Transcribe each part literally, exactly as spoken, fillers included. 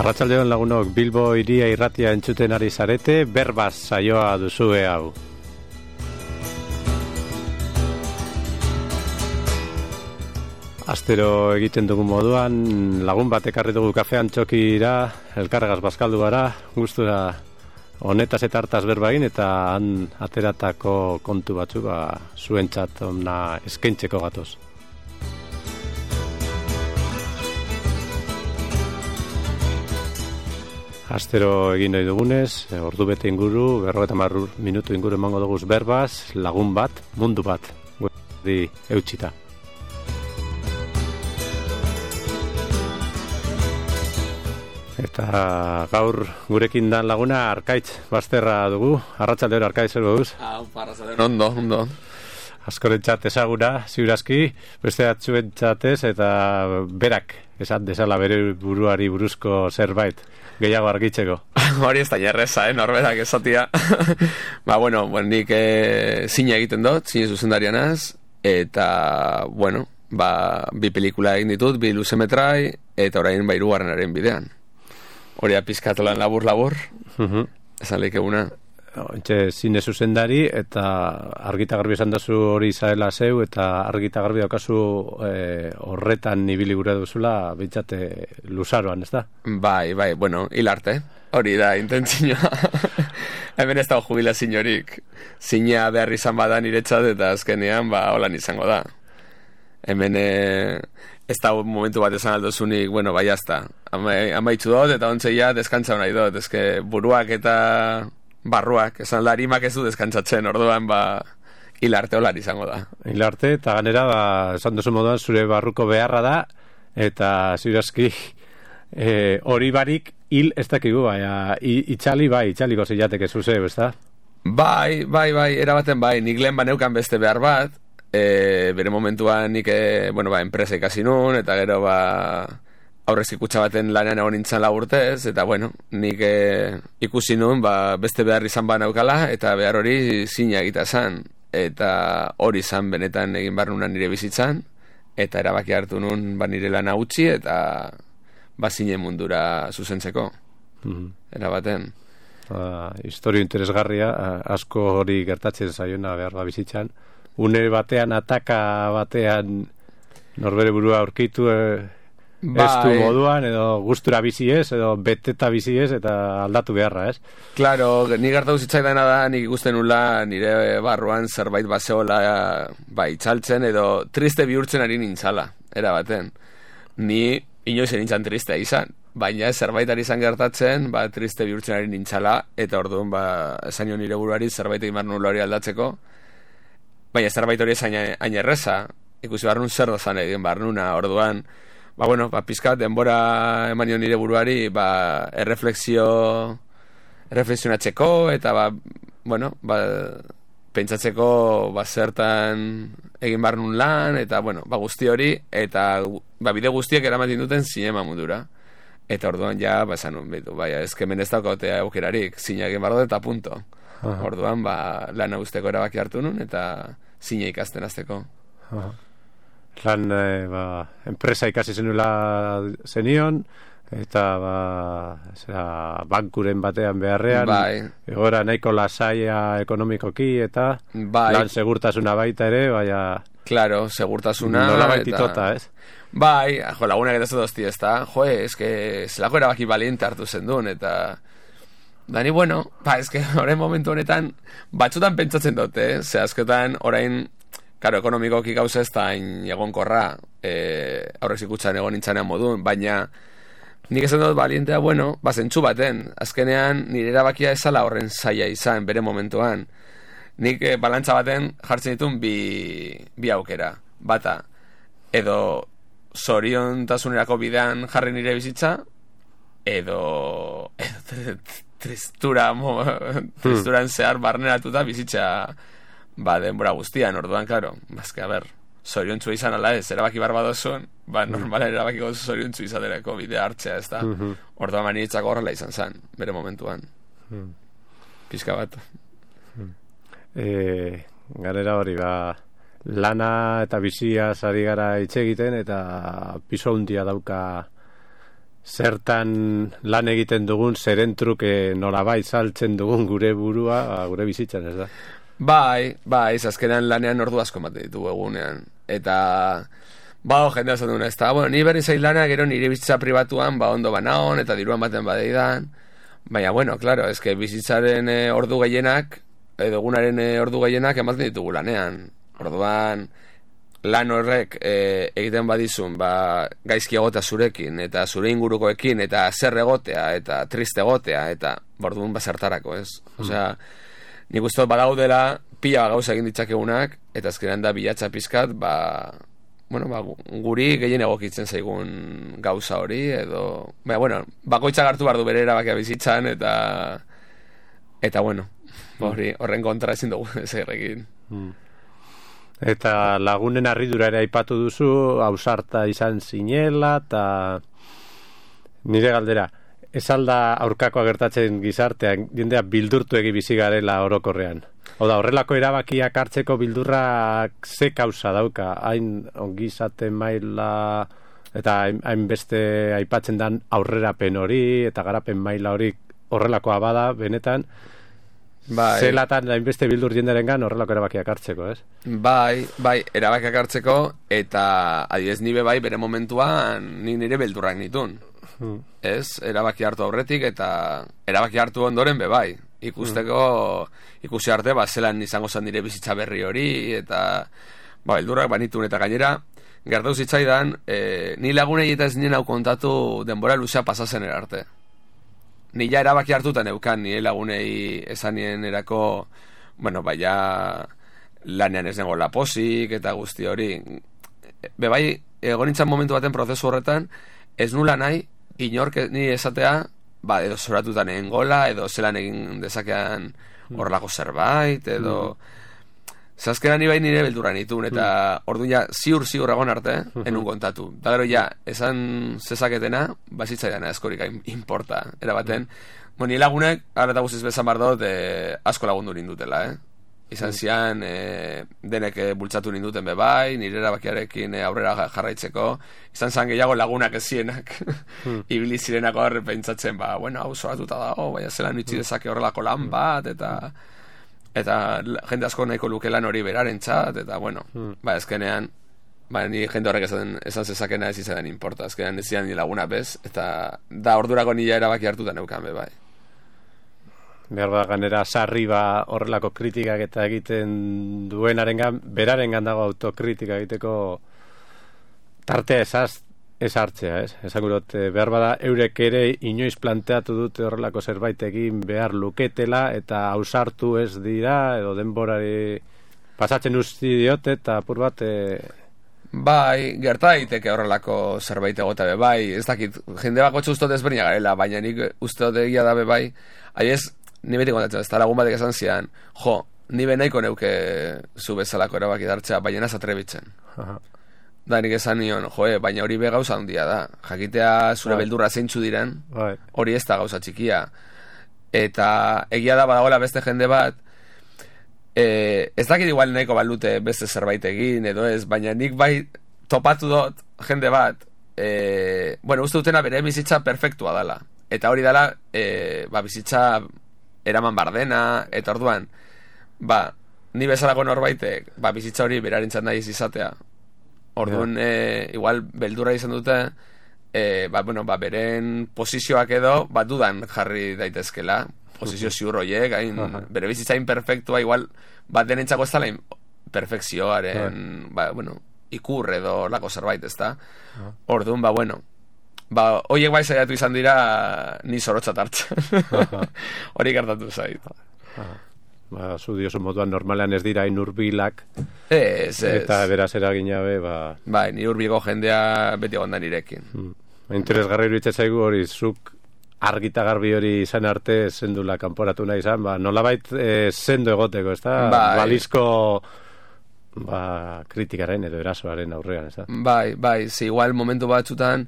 Arratsaldeon lagunok, Bilbo Hiria Irratia entzuten ari zarete, berbaz saioa duzue hau. Astero egiten dugu moduan, lagun bat ekarri dugu kafean txokira, elkarregaz bazkaldu gara, gustura honetaz eta hartaz berbain, eta han ateratako kontu batzu ba, zuentzat ona eskaintzeko gatoz. Astero egin nahi dugunez, ordu bete inguru, berrogeita hamar minutu inguru emango duguz berbaz, lagun bat, mundu bat, di eutxita. Eta gaur gurekin dan laguna Arkaitz Bazterra dugu. Arratsaldeon Arkaitz, zer moduz? Ah, arratsaldeon ondo, ondo. Askorentzat ezaguna, ziurazki, beste batzuentzatez eta berak esan dezala bere buruari buruzko zerbait gehiago argitzeko. Hori ez da jarreza, eh, norberak esatia. ba, bueno, bueno nik eh, zine egiten dut, zine zuzendarianaz, eta, bueno, ba, bi pelikula egin ditut, bi luzemetrai, eta orain ba hirugarrenaren bidean. Hori apizkatolan labur-labur, uh-huh. Esan leik eguna. Entxe, zine zuzendari, eta argita garbi esan dazu hori zaela zeu, eta argita garbi daukazu eh, horretan ibili gure duzula, bintzate luzaroan, ez da? Bai, bai, bueno, hilarte, hori da, intentzioa. Hemen ez da jubilazio horik. Zinea behar izan badan niretzat, eta azkenean, ba, holan izango da. Hemen eh, ez da momentu bat esan aldozunik, bueno, bai, jazta. Ama, amaitzu dut, eta ontzeia deskantza nahi dut. Ezke buruak eta barruak, esan larimak ez du deskantzatzen, orduan, ba, hilarte holar izango da. Hilarte, eta ganera, ba, esan duzu moduan, zure barruko beharra da, eta zirazki hori e, barik hil ez dakigu, baina itxali bai, itxaliko zilateke zuzeu, ez da? Bai, bai, bai, erabaten bai, nik lehen baneukan beste behar bat, e, bere momentuan nik, e, bueno, ba, enpresa ikasi nun, eta gero, ba, aurrezki kutxa baten lanean egon nintzen laburtez, eta bueno, nik e, ikusi nun, ba, beste behar izan ba naukala, eta behar hori zina egita zan, eta hori zan benetan egin behar nunan nire bizitzan, eta erabaki hartu nun ba nire lana utzi, eta ba zine mundura zuzentzeko, mm-hmm. Erabaten. Uh, historio interesgarria, asko hori gertatzen zaiona behar ba bizitzan, une batean, ataka batean norbere burua aurkitu, e, Bai. Ez du moduan, edo gustura bizi ez, edo beteta bizi ez, eta aldatu beharra, ez? Claro, ni gertatu zitzaidana da, nik ikusten nula nire barruan zerbait baseola ba, itxaltzen, edo triste bihurtzen ari nintzala, erabaten. Ni inoiz nintzen tristea izan, baina zerbait ari izan gertatzen, ba, triste bihurtzen ari nintzala, eta orduan, ba, esan nire buruari zerbait egin behar nula hori aldatzeko, baina zerbait hori esan hain erreza, ikusi behar nun zer dozan egin behar nuna, orduan, ba, bueno, ba, pizkat, denbora emanio nire buruari, ba, erreflexio, erreflexionatzeko, eta, ba, bueno, ba, pentsatzeko, ba, zertan egin behar nun lan, eta, bueno, ba, guzti hori, eta, ba, bide guztiek eramaten duten zinema mundura. Eta orduan, ja, ba, esan nun, bitu, baina, ezkemen ez daukotea aukerarik, zina egin behar dut, eta punto. Aha. Orduan, ba, lana guzteko erabaki hartu nun, eta zina ikasten azteko. Aha. Lan, e, ba, enpresa ikasi zenula zenion, eta, ba, zera, bankuren batean beharrean, bai. Egora nahiko lasaia ekonomikoki, eta bai. Lan segurtasuna baita ere, baina... Claro, segurtasuna... Nola baititota, ez? Bai, jo, lagunak eta zedozti, ez da? Jo, ez que zelako erabaki baliente hartu zendun, eta... Dani, bueno, ba, ez que orain momentu honetan, batzutan pentsatzen dute, eh? Ze askotan orain... Karo, ekonomikoki gauza ez da egonkorra, e, aurrez ikutxan egon nintzanean modun, baina nik esan dut balientea, bueno, bazentzu baten, azkenean nire erabakia ezala horren zaila izan, bere momentuan. Nik e, balantza baten jartzen ditun bi, bi aukera, bata, edo zoriontasunerako bidean jarri nire bizitza, edo, edo tristura, mo, tristuran zehar barneratuta bizitza... Ba, denbora guztian, orduan, klaro, bazke, a ber, zoriontzu izan ala ez, erabaki barbadozun, ba, normalen erabaki gozu zoriontzu izaterako bidea hartzea, ez da, uh-huh. Orduan manitzako horrela izan zen, bere momentuan, uh-huh. Pizka bat. Uh-huh. E, garera hori, ba, lana eta bizia zari gara hitz egiten, eta piso hundia dauka zertan lan egiten dugun, zeren truke nolabait saltzen dugun gure burua, gure bizitzan, ez da? Bai, bai, azkenean lanean ordu asko ematen ditugu egunean. Eta, ba, jendea esan duna, ez da, bueno, ni berri zail lana, gero nire bizitza pribatuan, ba, ondo banaon, eta diruan baten badeidan. Baina, bueno, claro, ez que bizitzaren e, ordu gehienak, edo egunaren e, ordu gehienak ematen ditugu lanean. Orduan, lan horrek e, egiten badizun, ba, gaizki egotea zurekin, eta zure ingurukoekin, eta zer egotea, eta triste egotea, eta borduan bazertarako, ez? Mm. Osea, nik uste badaudela pila gauza egin ditzakegunak, eta azkenean da bilatza pizkat, ba, bueno, ba, guri gehien egokitzen zaigun gauza hori, edo, baina, bueno, bakoitzak hartu behar du bere erabakia bizitzan, eta, eta, bueno, hori, horren kontra ezin dugu zer egin. Mm. Eta lagunen harridura ere aipatu duzu, ausarta izan zinela, eta nire galdera, ez alda aurkakoa gertatzen gizartean, jendea bildurtu egi bizi garela orokorrean. Oda, horrelako erabakiak hartzeko bildurrak ze kausa dauka, hain ongizaten maila, eta hain beste aipatzen dan aurrerapen hori, eta garapen maila hori horrelakoa bada, benetan, bai. Zelatan hainbeste bildur jenderengan horrelako erabakiak hartzeko, ez? Bai, bai, erabakiak hartzeko, eta adibidez nibe bai bere momentuan ni nire beldurrak nitun. Hmm. Ez, erabaki hartu aurretik, eta erabaki hartu ondoren be bai. Ikusteko, hmm. ikusi arte, ba, zelan izango zen nire bizitza berri hori, eta ba, beldurrak banitun, eta gainera, gertatu zitzaidan, e, ni lagunei eta ez nien hau kontatu denbora luzea pasazen erarte. Ni ja erabaki hartutan eukan, nire lagunei esan nien erako, bueno, baina lanean ez nengo laposik eta guzti hori. Bebai, egon nintzen momentu baten prozesu horretan, ez nula nahi, inork ni esatea, ba, edo zoratutan egin gola, edo zelan egin dezakean horrelako zerbait, edo... Mm. Zazkera ni bai nire beldurra nitun, eta mm. orduan ja ziur ziur egon arte, mm-hmm. enun kontatu. Da gero ja, esan zezaketena, bazitzaidan askorik importa, erabaten. Mm. Bo, nire lagunek, ara eta guztiz bezan bardot, eh, asko lagundu nindutela, eh? Izan mm. zian, eh, denek eh, bultzatu ninduten bebai, nire erabakiarekin eh, aurrera jarraitzeko, izan zan gehiago lagunak ez zienak, mm. ibili zirenako horre pentsatzen, ba, bueno, hau zoratuta dago, baina zelan utzi dezake horrelako lan bat, eta... eta jende asko nahiko luke lan hori beraren txat, eta bueno, hmm. ba, ezkenean, ba, ni jende horrek esan, esan zezakena ez izan importa, ezkenean ez zian ni laguna bez, eta da ordurako nila erabaki hartuta neukan be, bai. Behar da, ganera, sarri ba horrelako kritikak eta egiten duenarengan, berarengan dago autokritika egiteko tartea esaz, ez hartzea, ez? Esan gurot, behar bada, eurek ere inoiz planteatu dute horrelako zerbait egin behar luketela, eta ausartu ez dira, edo denborari pasatzen usti diote, eta apur bat... E... Bai, gerta daiteke horrelako zerbait egote be, bai, ez dakit, jende bako txustot ezberdina garela, baina nik uste dut egia da be, bai, aiez, ni beti kontatzen, ez da lagun batek esan zian, jo, ni benaiko neuke zu bezalako erabaki dartzea, baina ez atrebitzen. Aha. Da, nik esan nion, joe, baina hori be gauza handia da. Jakitea zure right. beldurra zeintzu diren, right. hori ez da gauza txikia. Eta egia da badagoela beste jende bat, e, ez dakit igual nahiko balute beste zerbait egin, edo ez, baina nik bai topatu dut jende bat, e, bueno, uste dutena bere bizitza perfektua dala. Eta hori dala, e, ba, bizitza eraman bardena, eta orduan, ba, ni bezalako norbaitek, ba, bizitza hori berarentzat nahi izatea. Orduan, yeah. e, igual, beldurra izan dute, e, ba, bueno, ba, beren posizioak edo, ba, dudan jarri daitezkela, posizio ziur horiek, hain, uh-huh. bere bizitza imperfektua, igual, bat denentzako ez dala perfekzioaren, uh-huh. ba, bueno, ikur edo lako zerbait, ez da? Uh-huh. Orduan, ba, bueno, ba, horiek bai saiatu izan dira, ni zorotzat hartzen. Uh-huh. Hori gertatu zait. Uh-huh. Ba, zu diosu moduan normalean ez dira inurbilak, ez, ez. Eta beraz eragina be, ba... Bai, ni urbilgo jendea beti egon da nirekin. Hmm. Interesgarri iruditzen zaigu hori, zuk argita garbi hori izan arte zendula kanporatu nahi izan, ba, nolabait e, zendo egoteko, ez da? Bai. Balizko ba, kritikaren edo erasoaren aurrean, ez da? Bai, bai, zi, igual momentu batzutan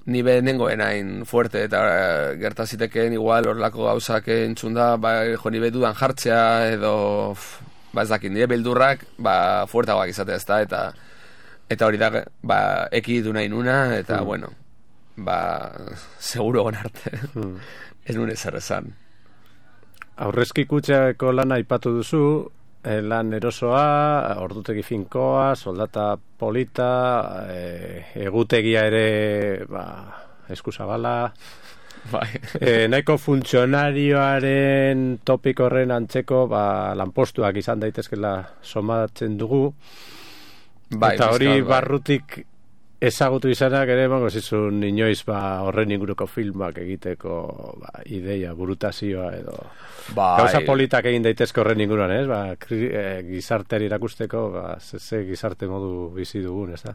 ni be nengoen hain fuerte, eta uh, gertaziteken igual horlako gauzak entzun da, ba, jo, ni be dudan jartzea, edo, ba, ez dakit, nire beldurrak, ba, fuertagoak izatea ez da, eta, eta hori da, ba, ekiditu nahi nuna, eta, mm. bueno, ba, seguro egon arte. Hmm. Ez nuen ezer esan. Aurrezki kutxako lana aipatu duzu, lan erosoa, ordutegi finkoa, soldata polita, e, egutegia ere, ba, eskuzabala, bai. e, nahiko funtzionarioaren topiko horren antzeko, ba, lanpostuak izan daitezkela somatzen dugu, bai, eta hori bizkal, bai. barrutik ezagutu izanak ere, bango zizun inoiz ba, horren inguruko filmak egiteko ba, ideia, burutazioa edo bai. Gauza politak egin daitezke horren inguruan, ez? Ba, kri, e, gizarteari irakusteko, ba, ze, ze gizarte modu bizi dugun, ez da?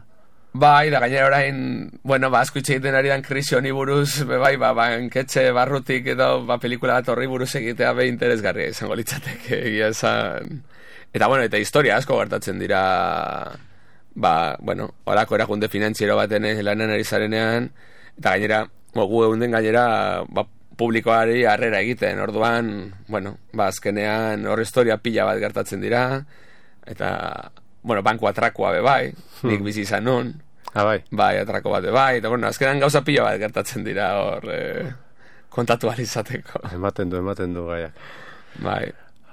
Bai, da gainera orain, bueno, ba, asko itxe egiten ari dan krisi honi buruz, be, bai, ba, banketxe barrutik edo, ba, pelikula bat horri buruz egitea be interesgarria izango litzateke, egia esan. Eta, bueno, eta historia asko gertatzen dira, ba, bueno, horako erakunde finantziero baten lanen ari zarenean, eta gainera, gu eunden gainera, ba, publikoari harrera egiten, orduan, bueno, ba, azkenean hor historia pila bat gertatzen dira, eta, bueno, banku atrakoa be bai, hmm. nik bizi izan nun, ah, bai. bai, atrako bat be bai, eta, bueno, azkenean gauza pila bat gertatzen dira hor, eh, kontatu alizateko. Ematen du, ematen du gaiak. Bai.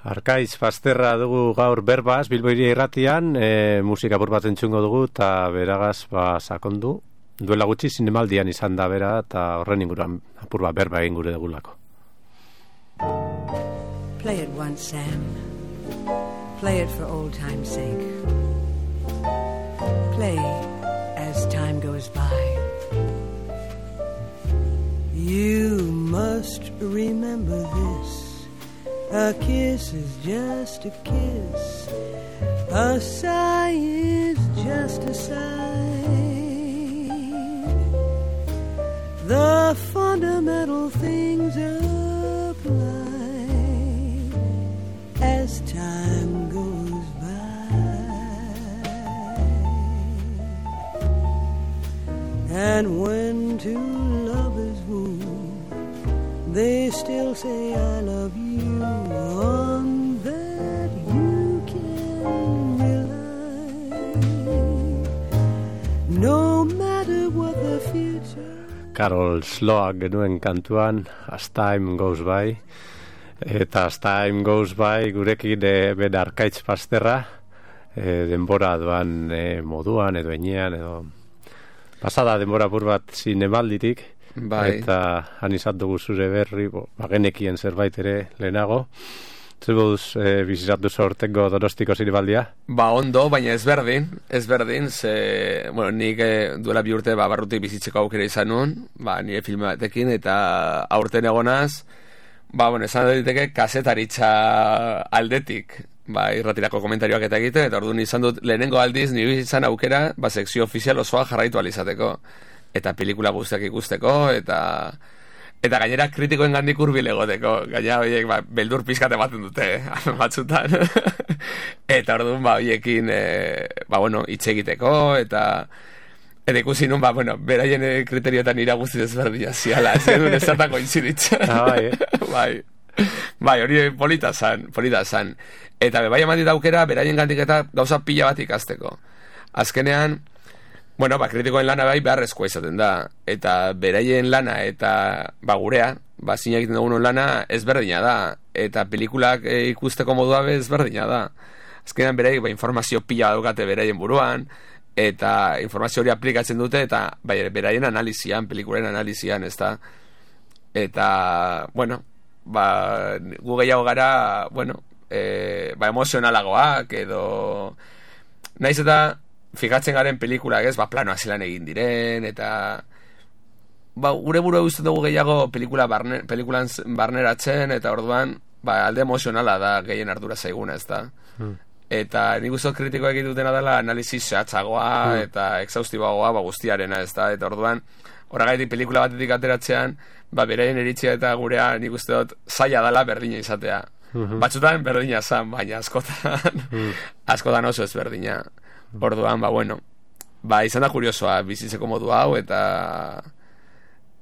Arkaitz Pasterra dugu gaur berbaz, Bilbo Hiria Irratian, e, musika apur bat entzungo dugu, eta beragaz, ba, sakondu. Duela gutxi zinemaldian izan da bera, eta horren inguruan apur bat berba egin gure dugulako. Play it once, Sam. Play it for old time's sake. Play as time goes by. You must remember this. A kiss is just a kiss. A sigh is just a sigh. The fundamental things apply as time goes by. And when two lovers woo, they still say I love you. On that you can rely, no matter what the future. Carol Sloak genuen kantuan As Time Goes By, eta As Time Goes By gurekin e, ben Arkaitz Pasterra, e, denbora doan e, moduan edo enean edo pasada denbora bur bat zinemalditik. Bai. Eta han izan dugu zure berri, bo, bagenekien zerbait ere lehenago. Zebuz e, bizizatu sortengo Donostiko zinemaldia? Ba, ondo, baina ezberdin, ezberdin, ze, bueno, nik e, duela bi urte ba, barrutik bizitzeko aukera izan nun, ba, nire filme batekin, eta aurten egonaz, ba, bueno, esan diteke kasetaritza aldetik, ba, irratirako komentarioak eta egiten, eta orduan izan dut lehenengo aldiz nire izan aukera, ba, sekzio ofizial osoa jarraitu alizateko. Eta pelikula guztiak ikusteko, eta eta gainera kritikoen gandik hurbil egoteko. Gainera horiek ba, beldur pizkate baten dute, eh, batzutan. Eta orduan ba, horiekin e, ba, bueno, hitz egiteko, eta eta ikusi nun, ba, bueno, beraien kriterioetan ira guzti desberdina ziala, ez duen ezertako inziditzen. Ah, bai, eh? bai. Bai, hori polita zan, polita zan. Eta be, bai eman aukera, beraien gandik eta gauza pila bat ikasteko. Azkenean, bueno, ba, kritikoen lana bai beharrezkoa izaten da, eta beraien lana eta ba, gurea, ba, zina egiten dugun lana ezberdina da, eta pelikulak e, ikusteko modua be ezberdina da. Azkenean beraik ba, informazio pila daukate beraien buruan, eta informazio hori aplikatzen dute, eta bai, beraien analizian, pelikulen analizian, ez da. Eta, bueno, ba, gu gehiago gara, bueno, e, ba, emozionalagoak, edo naiz eta fijatzen garen pelikulak, ez, ba, planoak zelan egin diren, eta ba, gure burua guztien dugu gehiago pelikula barne, pelikulan barneratzen, eta orduan, ba, alde emozionala da gehien ardura zaiguna, ez da. Hmm. Eta nik uste kritikoa egin dutena dela analizis zehatzagoa, hmm. eta exhaustiboagoa, ba, guztiarena, ez da. Eta orduan, horregaitik pelikula batetik ateratzean, ba, beraien eritzia eta gurea nik uste dut zaila dela berdina izatea. Hmm. Batzutan berdina zan, baina askotan, hmm. askotan oso ez berdina. Orduan, ba, bueno, ba, izan da kuriosoa bizitzeko modu hau, eta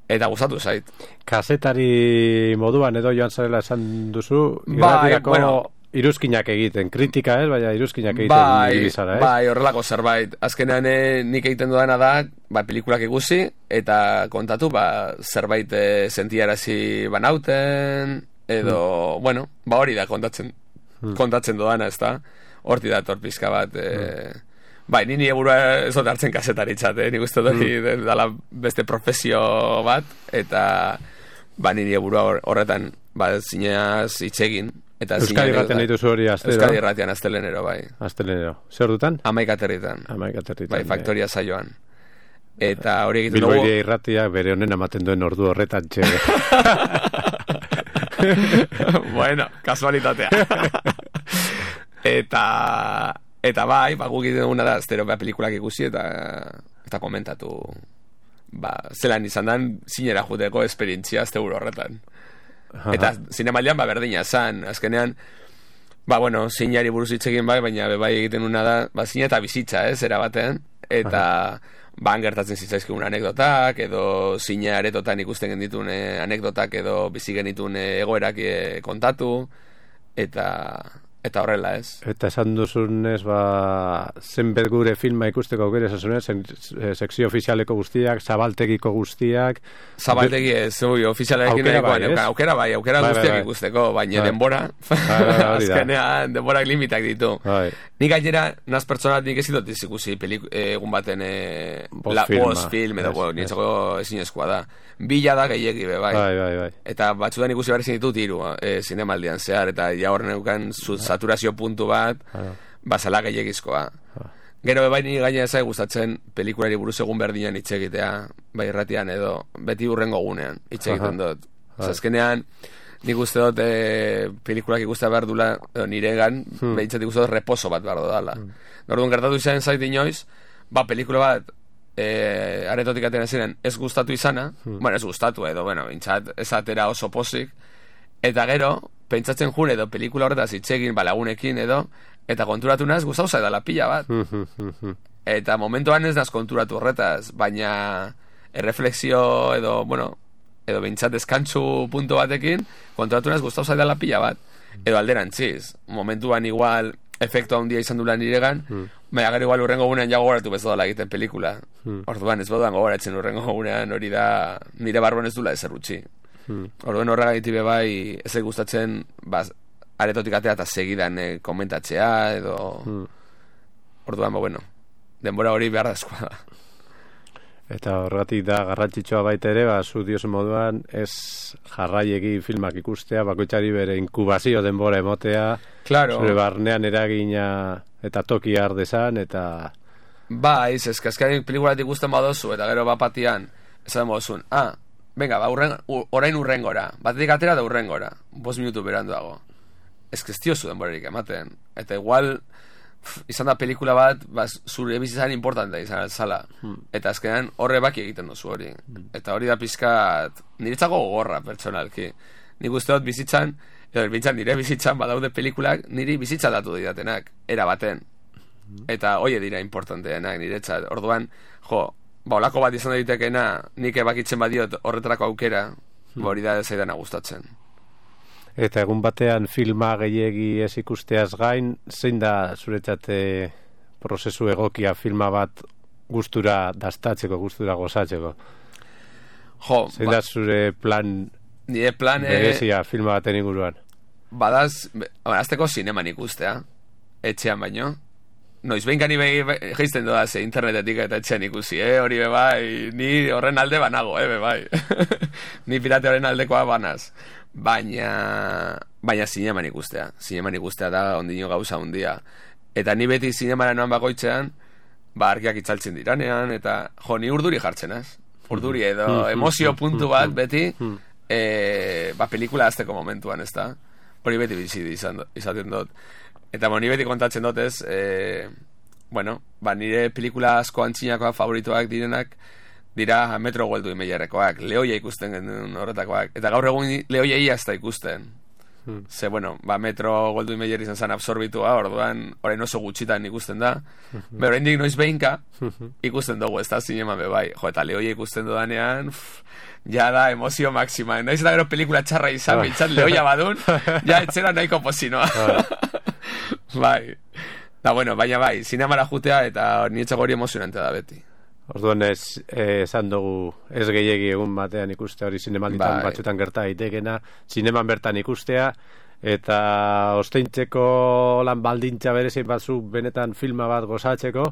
eta gustatu zait. Kazetari moduan edo joan zarela esan duzu, bai, bueno, iruzkinak egiten, kritika ez, baina iruzkinak egiten bai, ibizara, ez? Bai, horrelako zerbait. Azkenean eh, nik egiten dudana da, ba, pelikulak ikusi, eta kontatu, ba, zerbait e, sentiarazi banauten, edo, mm. bueno, ba hori da kontatzen, mm. kontatzen dodana, ez da? Horti da torpizka bat, e, mm. bai, ni nire burua ez dut hartzen kasetaritzat, eh? Nik uste dut mm. dala beste profesio bat, eta ba, nire burua horretan, ba, zineaz itxegin. Euskadi Irratian dituzu hori astero? Euskadi Irratian astelenero, bai. Astelenero. Zer dutan? Amaik aterritan. Amaik aterritan. Bai, Faktoria saioan. Eta hori egiten dugu... Bilboiria Irratia bere honen amaten duen ordu horretan txe. Bueno, kasualitatea. eta... Eta bai, ba, guk egiten duguna da, astero ba, pelikulak ikusi eta eta komentatu ba, zelan izan dan zinera juteko esperientzia azte horretan. Eta zinemaldian ba berdina zan, azkenean ba bueno, zinari buruz hitz egin bai, baina be bai egiten una da, ba zine eta bizitza, ez, era batean, eta ba gertatzen zitzaizkigun anekdotak edo zine aretotan ikusten genitun eh, anekdotak edo bizi genitun eh, egoerak eh, kontatu eta eta horrela, ez. Eta esan duzunez, ba, zenbet gure filma ikusteko aukera esasunez, sekzio ofizialeko guztiak, zabaltegiko guztiak... Zabaltegi ez, ui, ofizialekin egin, aukera bai, aukera bai, guztiak bai, bai. ikusteko, baina bai. denbora, bai, bai, bai, azkenean, denborak limitak ditu. Bai. Nik gainera, naz pertsonat nik ezin dut ikusi egun baten eh, la bost film, edo, bueno, nintzako ezinezkoa da. Bila da gehiagi, be, bai. Bai, bai, bai. Eta batzutan ikusi behar ezin ditut hiru, eh, zinemaldian zehar, eta ja horren eukan saturazio puntu bat, ah. basala gehiagizkoa. Ah. Gero bai ni gaina ezai gustatzen pelikulari buruz egun berdinan hitz egitea, bai irratian edo beti urrengo gunean hitz egiten dut. Ah. Azkenean nik uste dut e, pelikulak ikuste behar dula, edo niregan, hmm. behintzat ikuste dut reposo bat behar dudala. Hmm. Orduan gertatu izan zait inoiz, ba pelikula bat e, aretotik atena ziren ez gustatu izana, hmm. bueno, ez gustatu edo, bueno, behintzat ez atera oso posik, eta gero, pentsatzen jure edo pelikula horretaz hitxegin balagunekin edo, eta konturatu naz gustau zaidala pila bat. Eta momentuan ez naz konturatu horretaz, baina erreflexio edo, bueno, edo behintzat deskantzu punto batekin, konturatu naz gustau zaidala pila bat. Edo alderantziz, momentuan igual efektu handia izan dula niregan, mm. baina gero igual urrengo gunean ja gogoratu bezala egiten pelikula. Mm. Orduan ez boduan gogoratzen urrengo gunean, hori da nire barruan ez dula ezer utzi. Hmm. Orduan horregatik be bai ez gustatzen ba, aretotik atea eta segidan eh, komentatzea edo hmm. orduan ba bueno denbora hori behar dazkoa da. Eta horregatik da garrantzitsua baita ere, ba, zu diozen moduan ez jarraiegi filmak ikustea, bakoitzari bere inkubazio denbora emotea, claro. Zure barnean eragina eta toki ardezan eta ba, ez ez kaskaren pelikulatik ikusten badozu eta gero bapatian esan moduzun, ah venga, ba, urren, orain urrengora. Batetik atera da urrengora. Bost minutu beranduago. Ez kestiozu denborerik ematen. Eta igual, pff, izan da pelikula bat, ba, zure bizitzan importantea izan altzala. Hmm. Eta azkenean horre baki egiten duzu hori. Hmm. Eta hori da pizkat, niretzako gogorra pertsonalki. Nik uste dut bizitzan, edo bintzan nire bizitzan badaude pelikulak, niri bizitza datu didatenak, era baten. Hmm. Eta hoie dira importanteenak niretzat. Orduan, jo, ba, olako bat izan daitekena, nik ebakitzen badiot horretarako aukera, hmm. hori da zaidana gustatzen. Eta egun batean filma gehiegi ez ikusteaz gain, zein da zuretzat prozesu egokia filma bat gustura dastatzeko, gustura gozatzeko? Jo, zein ba, da zure plan, nire plan berezia filma baten inguruan? Badaz, azteko zineman ikustea, etxean baino. Noiz behin gani behi geizten doda ze internetetik eta etxean ikusi, eh? Hori bebai, ni horren alde banago, eh, bebai. Ni pirate horren aldekoa banaz. Baina, baina zineman ikustea. Zineman ikustea da ondino gauza hundia. Eta ni beti zinemara noan bakoitzean, ba, argiak itzaltzen diranean, eta jo, ni urduri jartzen, az? Urduri edo emozio puntu bat beti, e, ba, pelikula azteko momentuan, ez da? Hori beti bizi izaten dut. Eta bo, ni beti kontatzen dut ez, e, bueno, ba, nire pelikula asko antzinakoak favorituak direnak, dira Metro Goldwyn Mayerrekoak, Lehoia ikusten genuen horretakoak. Eta gaur egun Lehoia iazta ikusten. Hmm. Ze, bueno, ba, Metro Goldwyn Mayer izan zen absorbitua, orduan, orain oso gutxitan ikusten da. Hmm. Be, orain dik noiz behinka, ikusten dugu, ez da zinema bebai. Jo, eta Lehoia ikusten dudanean, uff, ja da emozio máxima. Naiz eta gero pelikula txarra izan, ah. bintzat Lehoia badun, ja etzera nahiko pozinoa. Ah. Bai. Da, bueno, baina bai, zinemara jutea eta nietzako hori emozionante da beti. Orduan ez eh, esan dugu ez gehiegi egun batean ikustea hori zinemalditan Bai. batzutan gerta daitekena, zineman bertan ikustea, eta osteintzeko lan baldintza berezi batzu benetan filma bat gozatzeko,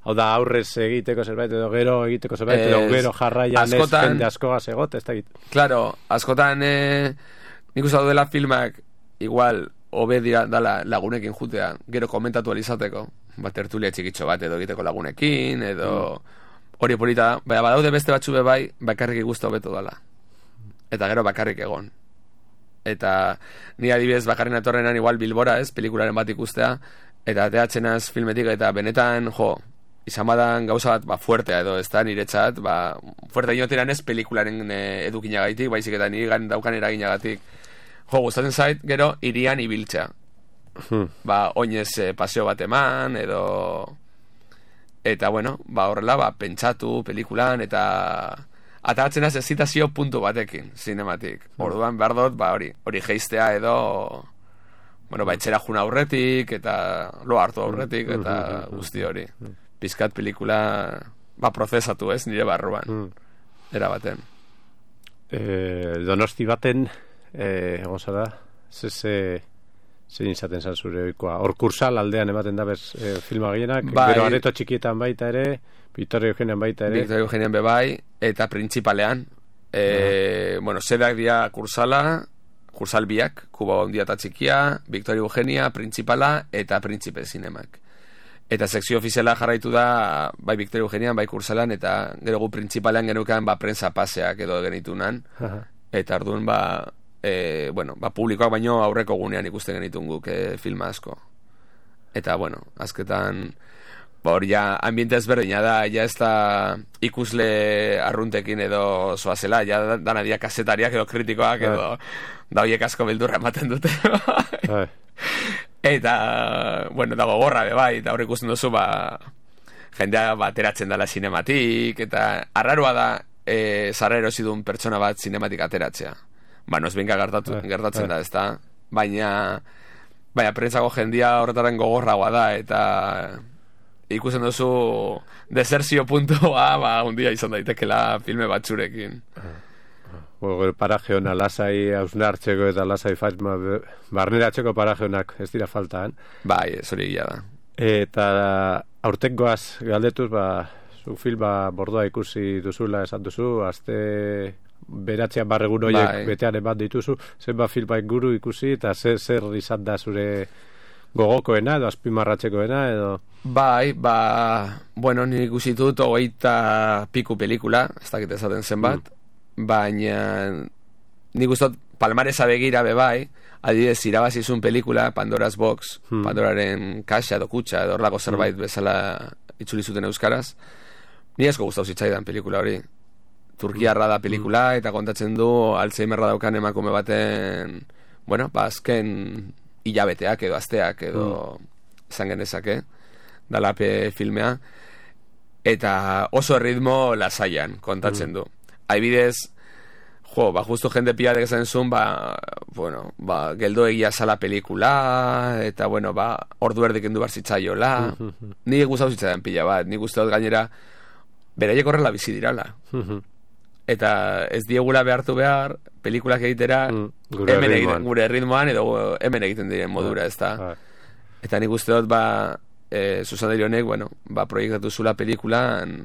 hau da aurrez egiteko zerbait edo gero egiteko zerbait edo Ez, gero jarraian ez askotan- jende askoaz egot, ez da egit. Claro, askotan eh, nik uste dela filmak igual hobe dira dala lagunekin jutea, gero komentatu alizateko, bat tertulia txikitxo bat edo egiteko lagunekin, edo hori polita da, baina badaude beste batzu be bai, bakarrik igusta hobeto dala. Eta gero bakarrik egon. Eta ni adibidez bakarren atorrenan igual Bilbora, ez, pelikularen bat ikustea, eta ateatzenaz filmetik, eta benetan, jo, izan badan gauza bat, ba, fuertea edo, ez da, niretzat, ba, fuerte inoteran ez pelikularen e, edukinagatik, baizik eta nire gan daukan eraginagatik. Jo, gustatzen zait, gero, irian ibiltzea. Hmm. Ba, oinez e, paseo bat eman, edo... Eta, bueno, ba, horrela, ba, pentsatu pelikulan, eta... Atatzen az ezitazio puntu batekin, zinematik. Orduan, behar dut, ba, hori, hori geistea edo... Bueno, ba, etxera juna aurretik, eta lo hartu aurretik, eta guzti hori. Pizkat pelikula, ba, prozesatu ez, nire barruan. Era baten. Eh, donosti baten, eh, egon zara, ze, ze, zein izaten zan zure oikoa. Hor kursal aldean ematen da bez eh, filma gehienak, Bai. gero areto txikietan baita ere, Victoria Eugenian baita ere. Victoria Eugenian bebai, eta printzipalean. E, bueno, sedak dia kursala, kursal biak, Kuba Handia eta Txikia, Victoria Eugenia, printzipala, eta printzipe zinemak. Eta sekzio ofiziala jarraitu da, bai Victoria Eugenian, bai kursalan, eta gero gu printzipalean genukan, ba, prensa paseak edo genitunan. Aha. Eta orduan, ba, e, bueno, ba, publikoak baino aurreko gunean ikusten genitun guk e, filma asko. Eta, bueno, azketan... Ba, hori ja, ambiente ezberdina da, ja ez da ikusle arruntekin edo zoazela, ja dana dia kasetariak edo kritikoak edo da horiek asko beldurra ematen dute. Bai. Eta, bueno, dago gorra be bai, eta hori ikusten duzu, ba, jendea bateratzen dela sinematik, eta arraroa da e, zarra erosi duen pertsona bat sinematik ateratzea. Ba, nozbinka gertatu, Bai, gertatzen bai. da, ez da? Baina, baina, prentsako jendia horretaren gogorragoa da, eta... ikusten duzu desertzio puntua, ba, un dia izan daitekela filme batzurekin. Bueno, paraje hona lasai hausnartzeko eta lasai faizma barneratzeko paraje honak ez dira faltaan. Bai, ez hori gila da. Eta aurtengoaz galdetuz, ba, zu filma bordoa ikusi duzula esan duzu, azte beratzean barregun horiek Bai. betean eman dituzu, zenba filma inguru ikusi, eta zer, zer izan da zure gogokoena edo azpimarratzekoena edo... Bai, ba, bueno, nik ikusi dut hogeita piku pelikula, ez dakit esaten zenbat, baina nik uste dut palmaresa begira be bai, adibidez irabazizun pelikula, Pandora's Box, Hmm. Pandoraren kaxa edo kutxa edo horlako zerbait bezala itzuli zuten euskaraz, ni asko gustau zitzaidan pelikula hori. Turkiarra da pelikula eta kontatzen du Alzheimerra daukan emakume baten, bueno, ba, azken hilabeteak edo asteak edo izan genezake dalape filmea, eta oso erritmo lasaian kontatzen du. Adibidez, jo, ba, justu jende pilatek esan zuen, ba, bueno, ba, geldo egia zala pelikula, eta, bueno, ba, ordu erdik endu barzitzaiola. Nik gustatu zitzaidan pila bat, nik uste dut gainera, beraiek horrela bizi dirala. Eta ez diegula behartu behar, pelikulak egitera, Gure hemen erritmoan. egiten, gure erritmoan, edo hemen egiten diren modura, ez da. Bai. Eta nik uste dut, ba, e, Susandari honek, bueno, ba, proiektatu zula pelikulan,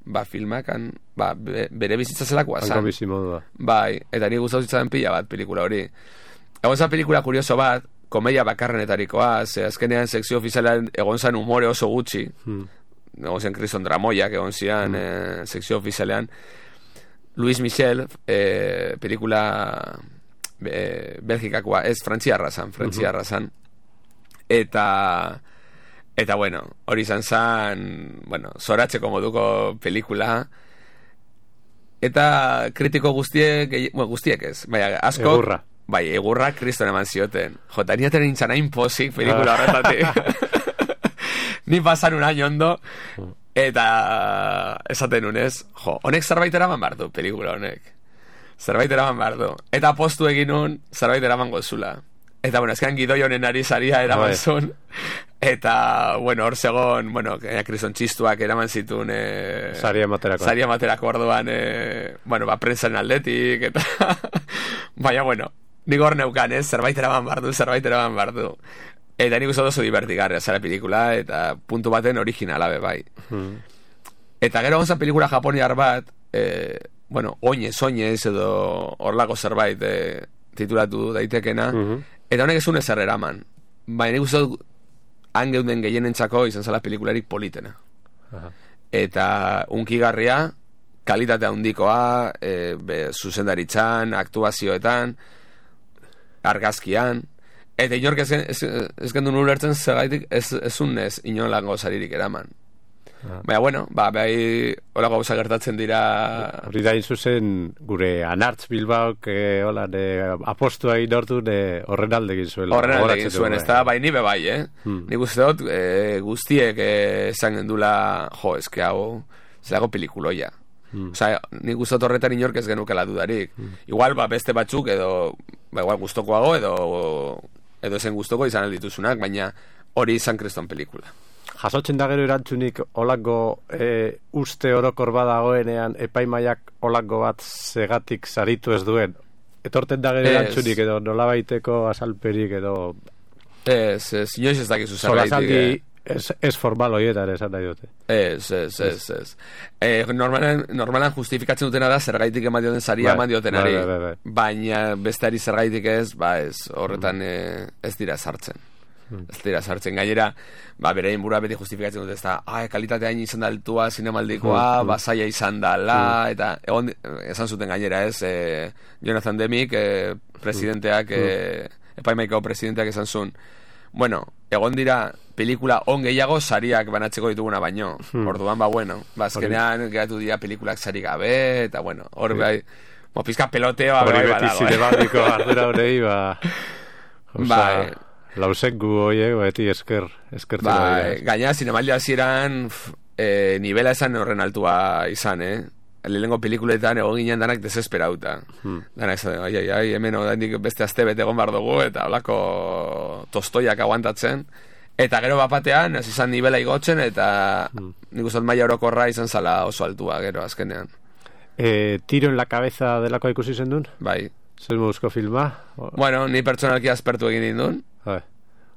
ba, filmakan, ba, be, bere bizitza zelakoa Hanko zan. bizi modua. Bai, eta nik gustatu zitzaidan pila bat pelikula hori. Egon zan pelikula kurioso bat, komedia bakarrenetarikoa, ze azkenean sekzio ofizialean egon zan umore oso gutxi, Hmm. egon zen Kriston Dramoiak egon zian eh, sekzio ofizialean. Luis Michel, eh, pelikula eh, Belgikakoa, ez, frantziarra zan, frantziarra zan. Eta, eta bueno, hori izan zan, bueno, zoratzeko moduko pelikula. Eta kritiko guztiek, gehi- bueno, guztiek ez, bai, asko... Egurra. Bai, egurra kriston eman zioten. Jo, eta niaten nintzen hain pozik pelikula horretatik. Ni pasan un año ondo, eta esaten unez, jo, honek zerbait eraman behar du, pelikula honek. Zerbait eraman behar du. Eta postu egin un, zerbait eraman gozula. Eta, bueno, ezkan gidoi honen ari saria eraman Bai. zuen. Eta, bueno, hor zegon, bueno, krison txistuak eraman zituen... E, Saria materako. Saria materako orduan, e, bueno, ba, prentsaren aldetik, eta... Baina, bueno, nik hor neukan, ez? Zerbait eraman bardu, zerbait eraman bardu. Eta nik uste oso divertigarria zara pelikula, eta puntu baten originala be bai. Hmm. Eta gero gonzan pelikula japoniar bat, e, bueno, oinez, oinez, edo horlako zerbait e, titulatu daitekena, Mhm. eta honek ez un ezer eraman. Baina nik uste dut, han geunden gehienentzako izan zala pelikularik politena. Aha. Eta unkigarria, kalitatea handikoa, e, be, zuzendaritzan, aktuazioetan, argazkian, eta inork ez, ez, ez gendun ulertzen zergaitik ez, ez unez inolango saririk eraman. Ah. Baina, bueno, ba, behai holako gauza gertatzen dira... Hori da zuzen gure Anartz Bilbaok eh, hola, ne, apostua egin ordu ne, horren alde egin zuela. Horren alde Gogoratzen egin zuen, dugu, ez da, bai, nibe bai, eh? Hmm. Nik uste dut, e, guztiek e, esan gendula, jo, eske hau, zelago pelikuloia. Hmm. Osea, nik uste dut horretan inork ez genukela dudarik. Hmm. Igual, ba, beste batzuk edo, ba, igual gustokoago edo, edo zen gustoko izan aldituzunak, baina hori izan kriston pelikula. Jasotzen da gero erantzunik olako e, uste orokor badagoenean epaimaiak olako bat segatik saritu ez duen. Etorten da gero Ez. erantzunik edo nolabaiteko asalperik edo Ez, ez, inoiz ez dakizu zergaitik. solasaldi ez, ez formal horietan esan nahi dute. Ez, ez, ez, ez. Eh, normalan, normalan justifikatzen dutena da zergaitik eman dioten saria Bai, eman diotenari. bai, bai, bai. Baina besteari zergaitik ez, ba ez, horretan eh, ez dira sartzen. Ez dira sartzen. Gainera, ba, berein burua beti justifikatzen dute ez da, ah, kalitatea hain izan da altua, zinemaldikoa, Mm, mm. basaia izan dala, eta egon, esan zuten gainera ez, eh, Jonathan Demick, eh, presidenteak, eh, epaimaiko presidenteak esan zuen, bueno, egon dira pelikula on gehiago sariak banatzeko dituguna baino. Hmm. Orduan, ba, bueno, ba, azkenean geratu dira pelikulak sari gabe, eta bueno, hor bai, mo, pizka peloteoa Hori bai beti badago, eh? zinemaldiko ardura honei, ba... Osa, Bai. lausengu hoiek, beti esker, eskertzen Ba, dira. gaina zinemaldia hasieran eh, nivela esan horren altua izan, eh? Lehenengo pelikuletan egon ginen danak desesperauta. Hmm. Danak esan, ai, ai, ai, hemen odaindik beste aste bete egon behar dugu, eta holako tostoiak aguantatzen. Eta gero bapatean, ez izan nivela igotzen, eta Hmm. nik uste dut maila orokorra izan zala oso altua, gero, azkenean. E, tiro en la cabeza delako ikusi zen duen? Bai. Zer mozko filma? O, Bueno, ni pertsonalki aspertu egin nindun. bai.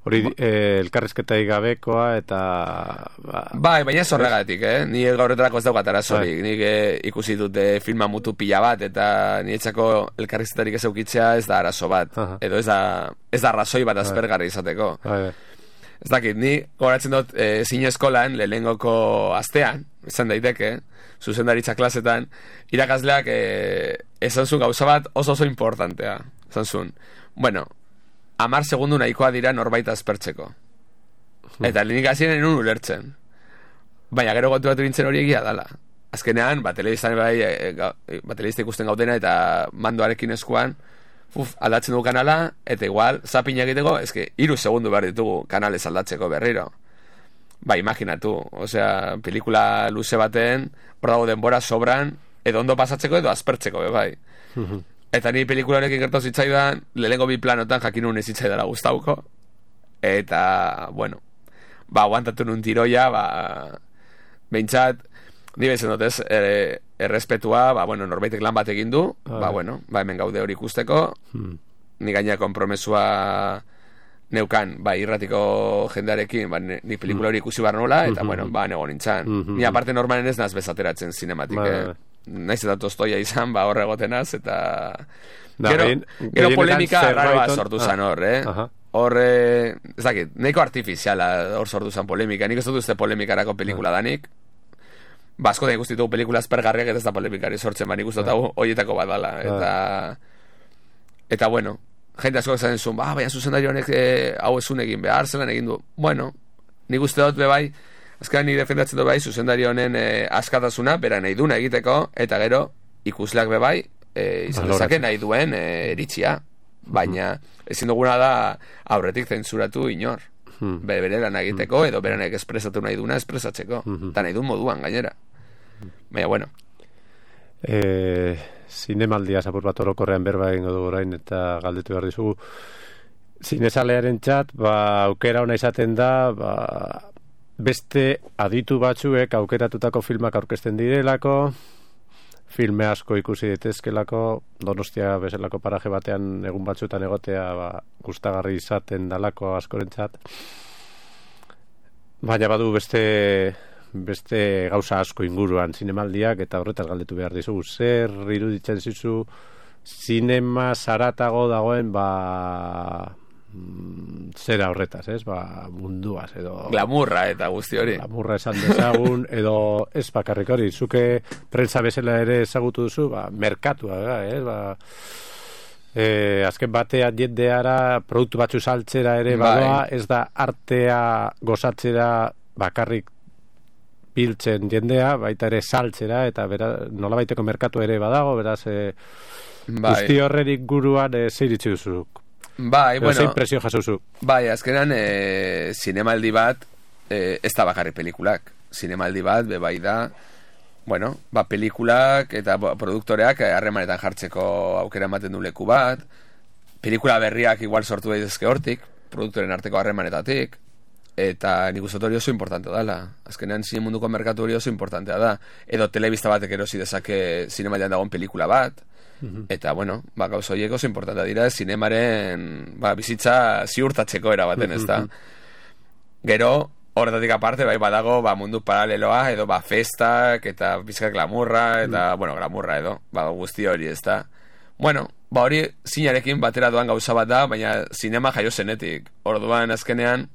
Hori eh, elkarrizketai gabekoa eta... Ba, Bai, baina ez horregatik, eh? Ni gaurretarako ez daukat arazorik. Bai. Nik eh, ikusi dute filma mutu pila bat, eta niretzako elkarrizketarik ez eukitzea ez da arazo bat. Aha. Edo ez da, ez da arrazoi bat aspergarri izateko. bai, bai. Ez dakit, ni goratzen dut e, zine eskolan, lehenengoko astean, izan daiteke, zuzendaritza klasetan, irakasleak e, esan zuen gauza bat oso oso importantea. Esan zuen, bueno, amar segundu nahikoa dira norbait aspertzeko. Eta lehenik hasieran enun ulertzen. Baina gero gotu bat bintzen hori egia dala. Azkenean, ba, telebistan bai, e, ga, e, ba, telebista ikusten gautena eta mandoarekin eskuan, uf, aldatzen dugu kanala, eta igual, zapin egiteko, eske, iru segundu behar ditugu kanalez aldatzeko berriro. Ba, imaginatu, osea, pelikula luze baten, hor dago denbora sobran, edo ondo pasatzeko edo aspertzeko, be, bai. Eta ni pelikula honekin gertatu zitzaidan, lehenengo bi planotan jakinun ez zitzaidara gustauko, eta, bueno, ba, aguantatu nun tiroia, ba, behintzat, ni bezen dut ez, e, errespetua, ba, bueno, norbaitek lan bat egin du, Ah. ba, bueno, ba, hemen gaude hori ikusteko, Hmm. ni gaina konpromesua neukan, ba, irratiko jendearekin, ba, ni ni pelikula hori ikusi bar nola, eta, Mhm. bueno, ba, nego nintzen. Mhm. Ni aparte normalen ez naz bezateratzen zinematik, Bai, eh? bai. Naiz eta tostoia izan, ba, horre egotenaz, eta... Da, gero, gehien- gero gehienetan polemika zerbait arraroa on- sortu Ah. zan hor, eh? Aha. Horre, ez dakit, nahiko artifiziala hor sortu zan polemika. Nik ez dut uste polemikarako pelikula danik. Ba, asko da ikustitu pelikula aspergarriak eta ez da polemikari sortzen, ba, nik uste dut hau horietako bat dala. Eta, eta bueno, jende asko esaten zuen, ba, baina zuzendari honek eh, hau ezun egin behar, zelan egin du. Bueno, nik uste dut bebai, azkenean ni defendatzen dut bai, zuzendari honen eh, askatasuna, bera nahi duna egiteko, eta gero, ikusleak bebai, eh, izan dezake nahi duen eh, eritzia. Baina, ezin duguna da aurretik zentzuratu inor. Hmm. Be, bere lan egiteko, edo beranek espresatu nahi duna espresatzeko. Mhm. Eta nahi duen moduan, gainera. Baina, bueno, E, zinemaldia zapur bat orokorrean berba egingo dugu orain eta galdetu behar dizugu. zinezalearen txat, ba, aukera ona izaten da, ba, beste aditu batzuek aukeratutako filmak aurkezten direlako, filme asko ikusi ditezkelako, Donostia bezalako paraje batean egun batzuetan egotea ba, gustagarri izaten dalako askorentzat. Baina badu beste beste gauza asko inguruan zinemaldiak, eta horretaz galdetu behar dizugu. Zer iruditzen zizu zinema zaratago dagoen ba zera horretaz, ez? Ba, munduaz edo glamurra eta guzti hori. Glamurra esan dezagun edo ez bakarrik hori. Zuke prentza bezala ere ezagutu duzu, ba, merkatua, ez? Ba, e, azken batean jendeara produktu batzu saltzera ere badoa, ez da artea gozatzera bakarrik biltzen jendea, baita ere saltzera, eta bera, nolabaiteko merkatu ere badago, beraz, e, bai. Guzti horren inguruan e, zeiritzi duzu. Bai, bueno, zein presio jasozu. Bai, azkenan e, zinemaldi bat e, ez da bakarri pelikulak. Zinemaldi bat, be bai da, bueno, ba, pelikulak eta produktoreak harremanetan jartzeko aukera ematen du leku bat, pelikula berriak igual sortu daitezke hortik, produktoren arteko harremanetatik, eta nik uste hori oso importante dela. Azkenean zine munduko merkatu hori oso importantea da. Edo telebista batek erosi dezake zinemaldian dagoen pelikula bat, eta, bueno, ba, gauza horiek oso importantea dira zinemaren ba, bizitza ziurtatzeko erabaten, ez da. Gero, horretatik aparte, bai, badago ba, mundu paraleloa, edo ba, festak, eta bizkak glamurra, eta, mm. bueno, glamurra edo, ba, guzti hori, ez da. Bueno, ba, hori zinarekin batera doan gauza bat da, baina zinema jaio zenetik. Orduan, azkenean,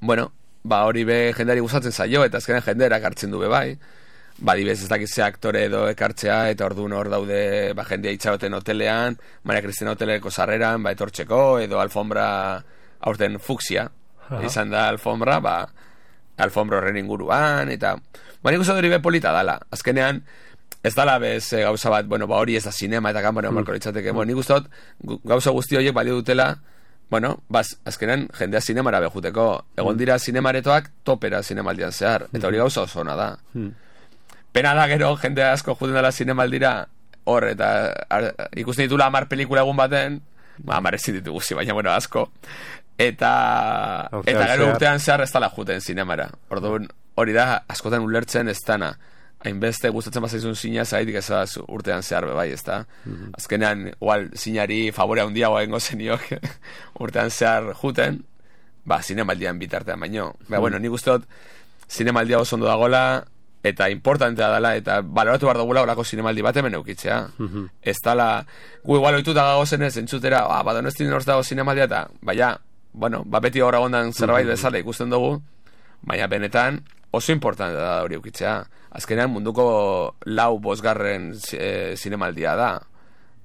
bueno, ba, hori be jendeari gustatzen zaio, eta azkenean jenderak hartzen du be bai. Ba, dibez ez dakitze aktore edo ekartzea, eta orduan hor daude ba, jendea itxaroten hotelean, Maria Cristina hoteleko sarreran, ba, etortzeko, edo alfombra aurten fuksia, uh-huh. izan da alfombra, ba, alfombra horren inguruan, eta, ba, nik uste hori be polita dala. Azkenean, ez dala bez e, gauza bat, bueno, ba, hori ez da sinema eta kanpone mm. marko litzateke, mm. bueno, nik uste dut, gauza guzti horiek balio dutela, bueno, baz, azkenean, jendea zinemara behuteko, egon dira zinemaretoak topera zinemaldian zehar, eta hori gauza oso ona da. Mm. Pena da gero, jende asko juten dela zinemaldira, hor, eta ar, ikusten ditula amar pelikula egun baten, ba, amar ezin ditu guzi, baina, bueno, asko, eta urtean eta gero zehar. Urtean zehar ez dala juten zinemara. Orduan, hori da, askotan ulertzen ez dana, hainbeste gustatzen bazaizun zina, zaitik ez da urtean zehar bebai, ez da. Mm-hmm. Azkenean, igual, zinari favorea handiagoa egingo zeniok, urtean zehar juten, ba, zinemaldian bitartean baino. Ba, mm-hmm. bueno, nik uste dut, zinemaldia oso ondo dagoela, eta importantea dela, eta baloratu behar dugula horako zinemaldi bat hemen eukitzea. Mm-hmm. Ez dala, gu igual oituta gagozen ez, entzutera, ah, ba, Donostin horz dago zinemaldia, eta, baina, bueno, ba, beti horra gondan zerbait mm-hmm. bezala ikusten dugu, baina benetan oso importantea da hori eukitzea. Azkenean munduko lau bosgarren e, zinemaldia da,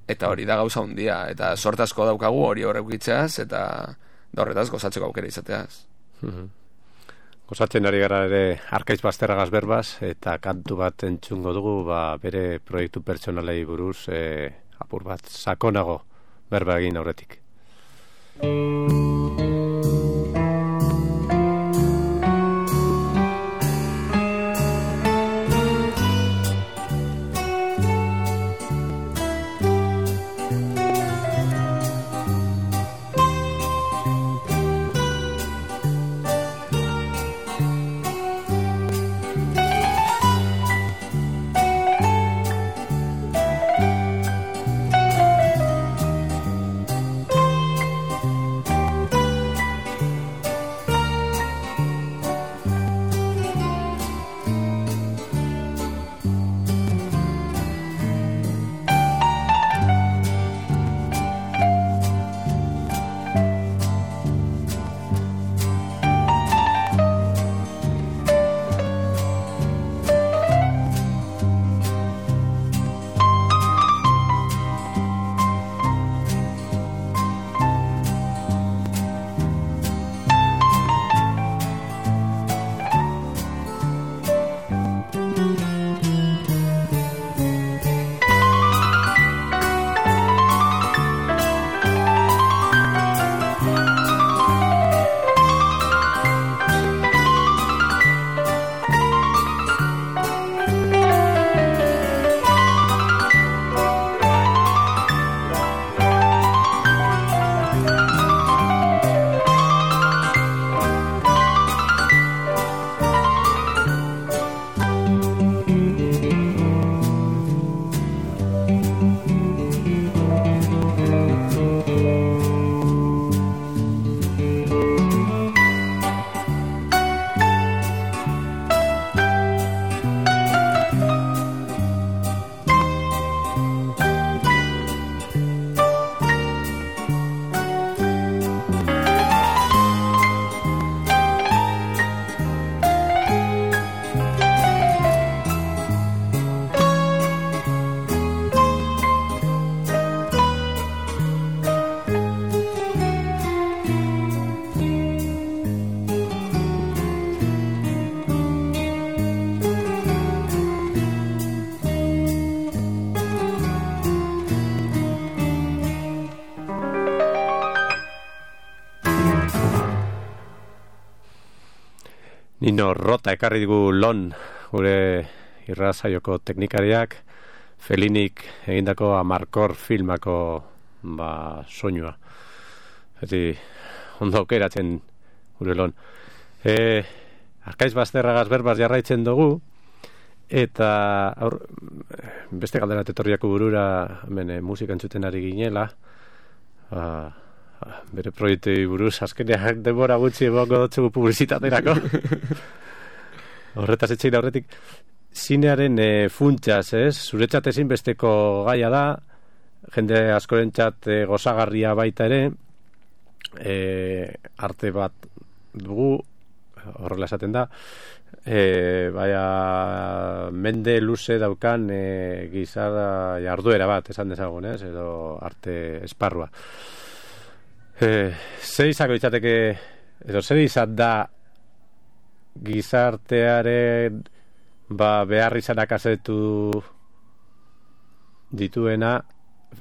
eta hori da gauza hundia, eta sortazko daukagu hori horre eukitzeaz, eta da horretaz gozatzeko aukera izateaz. Mm-hmm. Gozatzen ari gara ere Arkaiz Bazterragaz berbaz, eta kantu bat entzungo dugu, ba, bere proiektu pertsonalei buruz e, apur bat sakonago berba egin aurretik. Nino Rota ekarri digu lon, gure irrazaioko teknikariak, Felinik egindako Amarkor filmako ba, soinua. Eti, ondo aukeratzen gure lon. E, Arkaiz Bazterragaz berbaz jarraitzen dugu, eta aur, beste galdera tetorriako burura hemen, musika entzuten ari ginela, ba, bere proiektei buruz azkenean denbora gutxi emango dutzugu publizitaterako. Horretaz etxein aurretik zinearen e, funtsaz, ez? Zuretzat ezinbesteko gaia da, jende askorentzat e, gozagarria baita ere, e, arte bat dugu, horrela esaten da, e, baina mende luze daukan e, gizara jarduera bat, esan dezagun, ez? Edo arte esparrua. Eh, zer izango izateke edo zer izan da gizartearen ba, behar izanak azetu dituena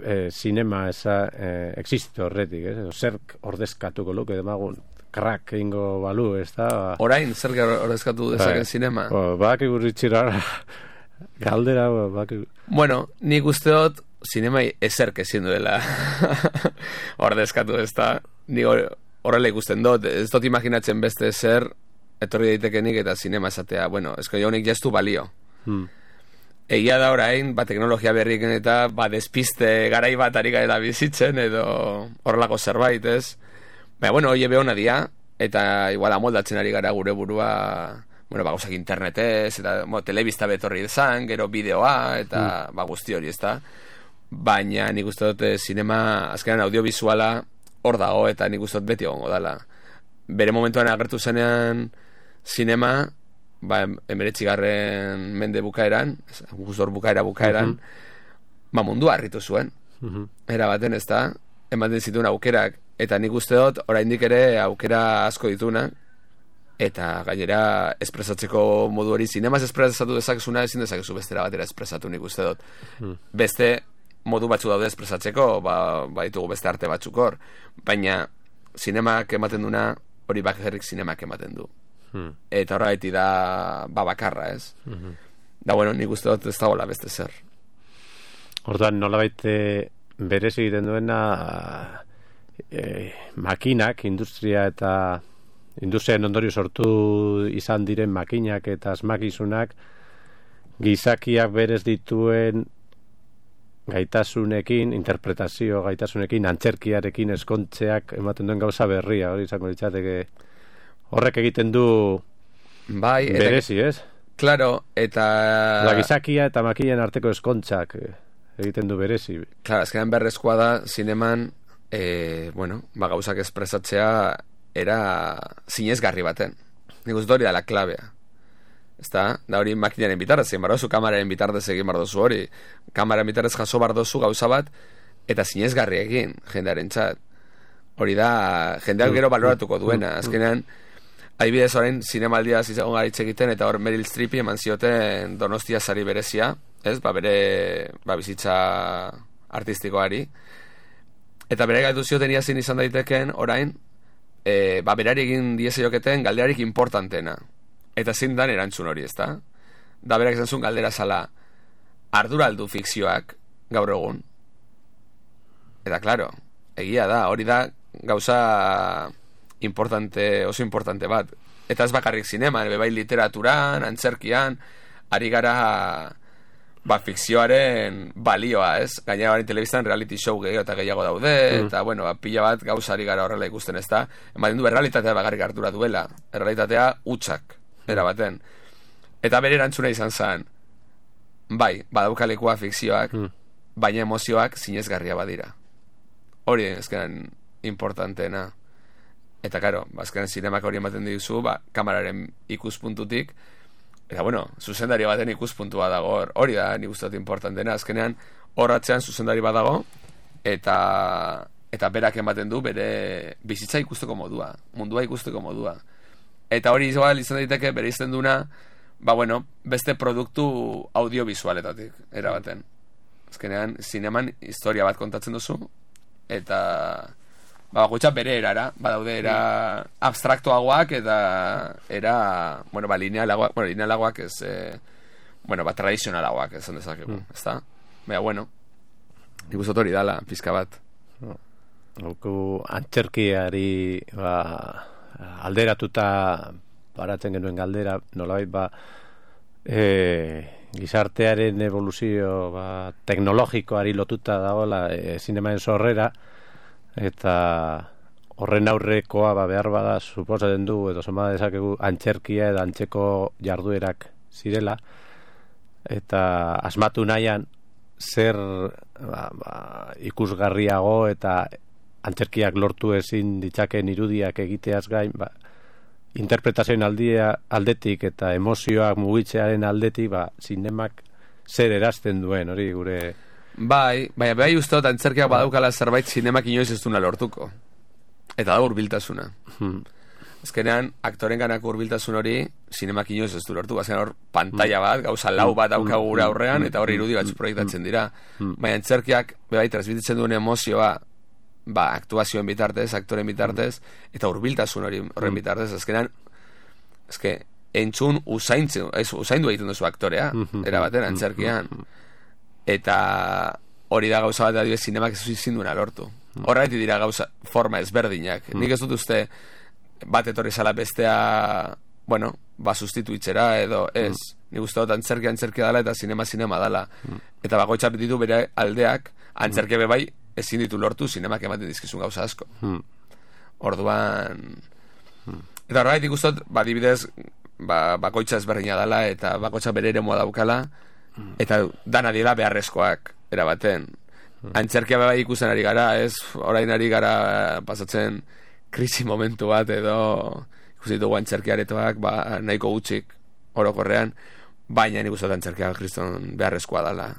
eh, sinema eza eh, existitu horretik, ez? Edo zerk ordezkatuko luke demagun krak egingo balu, ez da? Orain, zer ordezkatu dezaken sinema? Bak igurritxira galdera bak... Bueno, nik uste dut sinemai ezerk ezin duela ordezkatu, ez da, ni horrela ikusten dut, ez dut imaginatzen beste zer etorri daitekenik eta sinema esatea, bueno, esko jaunik jaztu balio. Hmm. Egia da orain, ba, teknologia berriken eta ba, despiste garai bat ari garela bizitzen edo horrelako zerbait, ez? Baina, bueno, hoi ebe hona dia, eta igual amoldatzen ari gara gure burua, bueno, ba, gauzak internetez, eta mo, telebista betorri izan, gero bideoa, eta hmm. ba, guzti hori, ez da? Baina nik uste dut sinema azkenan audiovisuala hor dago eta nik uste dut beti egongo dela. Bere momentuan agertu zenean sinema, ba, emeretzigarren mende bukaeran, guztor bukaera bukaeran, uh-huh. ba, mundua harritu zuen. Uh-huh. Era baten, ez da, ematen zituen aukerak, eta nik uste dut oraindik ere aukera asko dituna, eta gainera espresatzeko modu hori, sinemaz espresatu dezakezuna ezin dezakezu bestera batera espresatu, nik uste dut. Uh-huh. Beste modu batzu daude espresatzeko, ba, ba ditugu beste arte batzuk hor, baina sinemak ematen duna hori bakarrik sinemak ematen du. Hmm. Eta horregaiti da ba bakarra, ez? Hmm. Da, bueno, nik uste dut ez dagoela beste zer. Orduan, nolabait berez egiten duena e, makinak, industria eta industriaren ondorio sortu izan diren makinak eta asmakizunak gizakiak berez dituen gaitasunekin, interpretazio gaitasunekin, antzerkiarekin eskontzeak ematen duen gauza berria, hori izango litzateke horrek egiten du bai, berezi, ez? Claro, eta... La gizakia eta makinen arteko eskontzak egiten du berezi. Claro, azkenan berrezkoa da, zineman, eh, bueno, ba, gauzak espresatzea era zinezgarri baten. Nik uste hori da la klabea. Ezta, da hori makinaren bitarrez egin bardozu, kamararen bitarrez egin bardozu hori. Kamararen bitarrez jaso bardozu gauza bat, eta zinezgarri egin, jendearen txat. Hori da, jendeak gero baloratuko duena. Azkenean, adibidez orain, zinemaldia zizagon garitxe egiten, eta hor Meryl Streepi eman zioten Donostia sari berezia, ez, ba bere, ba bizitza artistikoari. Eta bere gaitu zioten iazin izan daiteken, orain, e, ba berari egin diezaioketen galderarik importantena. Eta zein dan erantzun hori, ezta? Da berak izan zuen galdera zala, arduraldu fikzioak gaur egun. Eta, klaro, egia da, hori da gauza importante, oso importante bat. Eta ez bakarrik zineman, bebai literaturan, antzerkian, ari gara ba, fikzioaren balioa, ez? Gainera barin telebistan reality show gehiago eta gehiago daude, mm. eta, bueno, ba, pila bat gauza ari gara horrela ikusten, ez da? Ematen du, errealitatea bakarrik ardura duela. Errealitatea utxak. Era baten. Eta bere erantzuna izan zen, bai, badaukalekua fikzioak, mm. baina emozioak zinezgarria badira. Hori ezkenan importanteena. Eta karo, azkenan zinemak hori ematen dizu, ba, kamararen ikuspuntutik, eta bueno, zuzendari baten ikuspuntua dago, hori da nik uste dut importanteena, azkenean horratzean zuzendari bat dago, eta eta berak ematen du bere bizitza ikusteko modua, mundua ikusteko modua. Eta hori igual izan daiteke bere izten duna, ba bueno, beste produktu audiovisualetatik, erabaten. Azkenean, zineman historia bat kontatzen duzu, eta ba, bakoitza bere erara, badaude era abstraktoagoak eta era, bueno, ba, linealagoak, bueno, linealagoak ez, eh, bueno, ba, tradizionalagoak esan dezakegu, mm. ez da? Baina, bueno, nik uste hori dala, pizka bat. Hauku antzerkiari ba, alderatuta paratzen genuen galdera, nolabait ba, e, gizartearen evoluzio ba, teknologikoari lotuta dagoela e, zinemaren sorrera, eta horren aurrekoa ba, behar bada suposatzen du edo zoma dezakegu antzerkia edo antzeko jarduerak zirela, eta asmatu nahian zer ba, ba, ikusgarriago eta antzerkiak lortu ezin ditzaken irudiak egiteaz gain, ba, interpretazioen aldia aldetik eta emozioak mugitzearen aldetik, ba, zinemak zer erazten duen, hori gure... Bai, baina bai usteot antzerkiak badaukala zerbait zinemak inoiz ez duna lortuko. Eta da hurbiltasuna. Hmm. Azkenean, aktoren ganak hurbiltasun hori, zinemak inoiz ez du lortu. Azkenean hor, pantalla bat, gauza lau bat daukagu gure aurrean, eta hor irudi batzu proiektatzen dira. Baina antzerkiak, bai, transmititzen duen emozioa, ba, aktuazioen bitartez, aktoren bitartez, eta hurbiltasun hori horren bitartez. Azkenean, ezke, entzun usaintzen, ez, usaindu egiten duzu aktorea, erabaten, antzerkian. Eta hori da gauza bat adibidez zinemak ez ezin duena lortu. Horregatik dira gauza forma ezberdinak. Nik ez dut uste bat etorri zala bestea, bueno, ba sustituitzera edo ez. Nik uste dut antzerkia antzerkia dela eta zinema zinema dela. Eta bakoitzak ditu bere aldeak, antzerkia be bai ezin ditu lortu, zinemak ematen dizkizun gauza asko. Orduan eta horregatik uste dut, ba adibidez, ba, bakoitza ezberdina dela eta bakoitza bere eremua daukala. Eta dana dira beharrezkoak erabaten. Antzerkia bai ikusten ari gara, ez? Orain ari gara pasatzen krisi momentu bat edo ikusi dugu antzerkiaretoak ba, nahiko gutxik orokorrean, baina nik uste dut antzerkia kriston beharrezkoa dela.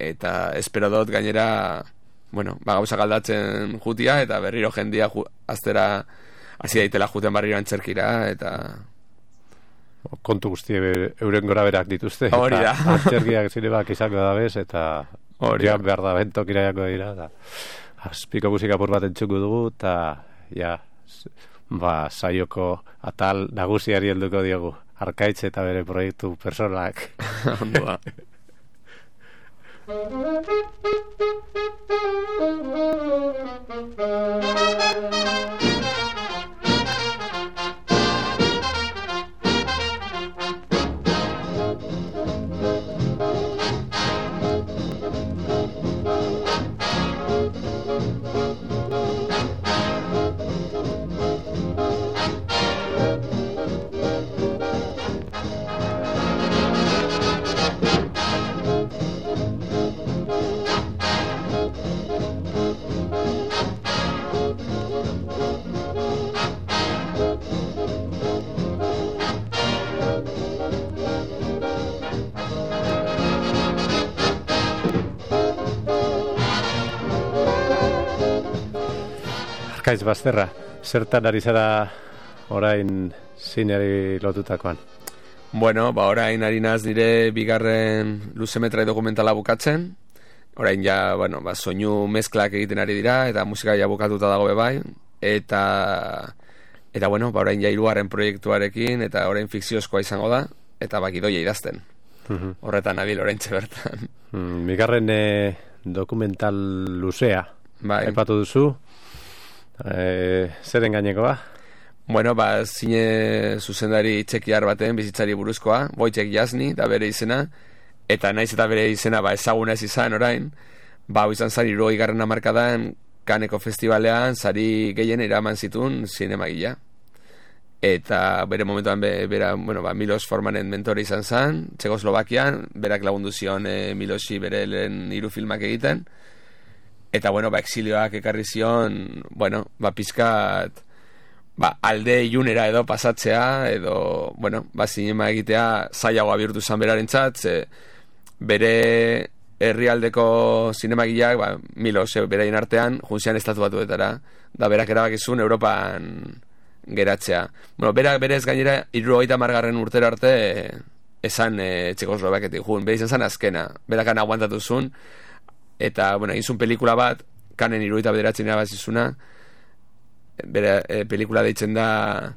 Eta espero dut gainera, bueno, ba, gauza galdatzen jutia eta berriro jendia ju, aztera hasi daitela juten barriro antzerkira eta... kontu guztie euren gora berak dituzte. Hori da. Antzerkiak zinemak izango da bez, eta ja behar da bentok iraiako dira. Da. Azpiko musika apur bat entzuko dugu, eta ja, ba, saioko atal nagusiari helduko diogu. Arkaitz eta bere proiektu personalak. Ondoa. Arkaitz Bazterra, zertan ari zara orain zineari lotutakoan? Bueno, ba orain ari naz nire bigarren luzemetrai dokumentala bukatzen. Orain ja, bueno, ba, soinu mezklak egiten ari dira, eta musika ja bukatuta dago bebai. Eta, eta bueno, ba orain ja hirugarren proiektuarekin, eta orain fikziozkoa izango da, eta ba gidoia idazten. Uh-huh. Horretan nabil oraintxe bertan. Mm, bigarren eh, dokumental luzea, bai. Aipatu duzu. E, zeren gainekoa? Bueno, ba, zine zuzendari txekiar baten bizitzari buruzkoa, Wojciech Jasny, da bere izena, eta naiz eta bere izena ba, ezaguna ez izan orain, ba, izan zari hirurogei garren hamarkadan Canneseko festivalean sari gehien eraman zituen zinemagila. Eta bere momentuan be, bera, bueno, ba, Milos Formanen mentore izan zen, Txekoslovakian, berak lagundu zion e, Milosi bere lehen hiru filmak egiten. Eta, bueno, ba, exilioak ekarri zion, bueno, ba, pizkat, ba, alde ilunera edo pasatzea, edo, bueno, ba, zinema egitea zailagoa bihurtu zan berarentzat, ze bere herrialdeko zinemagileak, ba, Milos, e, beraien artean, juntzian estatu batuetara, da berak erabakizun Europan geratzea. Bueno, berak berez gainera, hirurogeita hamargarren urtera arte, e, esan e, Txekoslovaketik jun, bere izan zen azkena, berakan aguantatu zuen, eta, bueno, egin zuen pelikula bat, Cannen hirurogeita bederatzi irabazizuna, bere e, pelikula deitzen da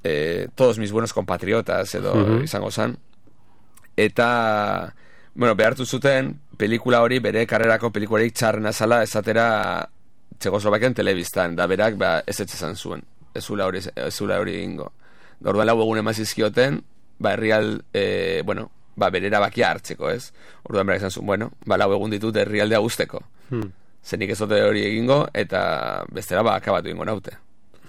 e, Todos mis buenos compatriotas edo Mhm. izango zan. Eta bueno, behartu zuten pelikula hori bere karrerako pelikularik txarrena zala esatera Txekoslovakian telebistan, da berak ba, ez etxezan zuen, ez zula hori, ez zula hori egingo. Da orduan lau egun emazizkioten, ba herrial, e, bueno, ba berera bakia hartzeko, ez? Orduan berak izan zuen, bueno, ba lau egun ditut herrialdea guzteko. Hmm. Zenik ez dute hori egingo, eta bestera ba akabatu egingo naute.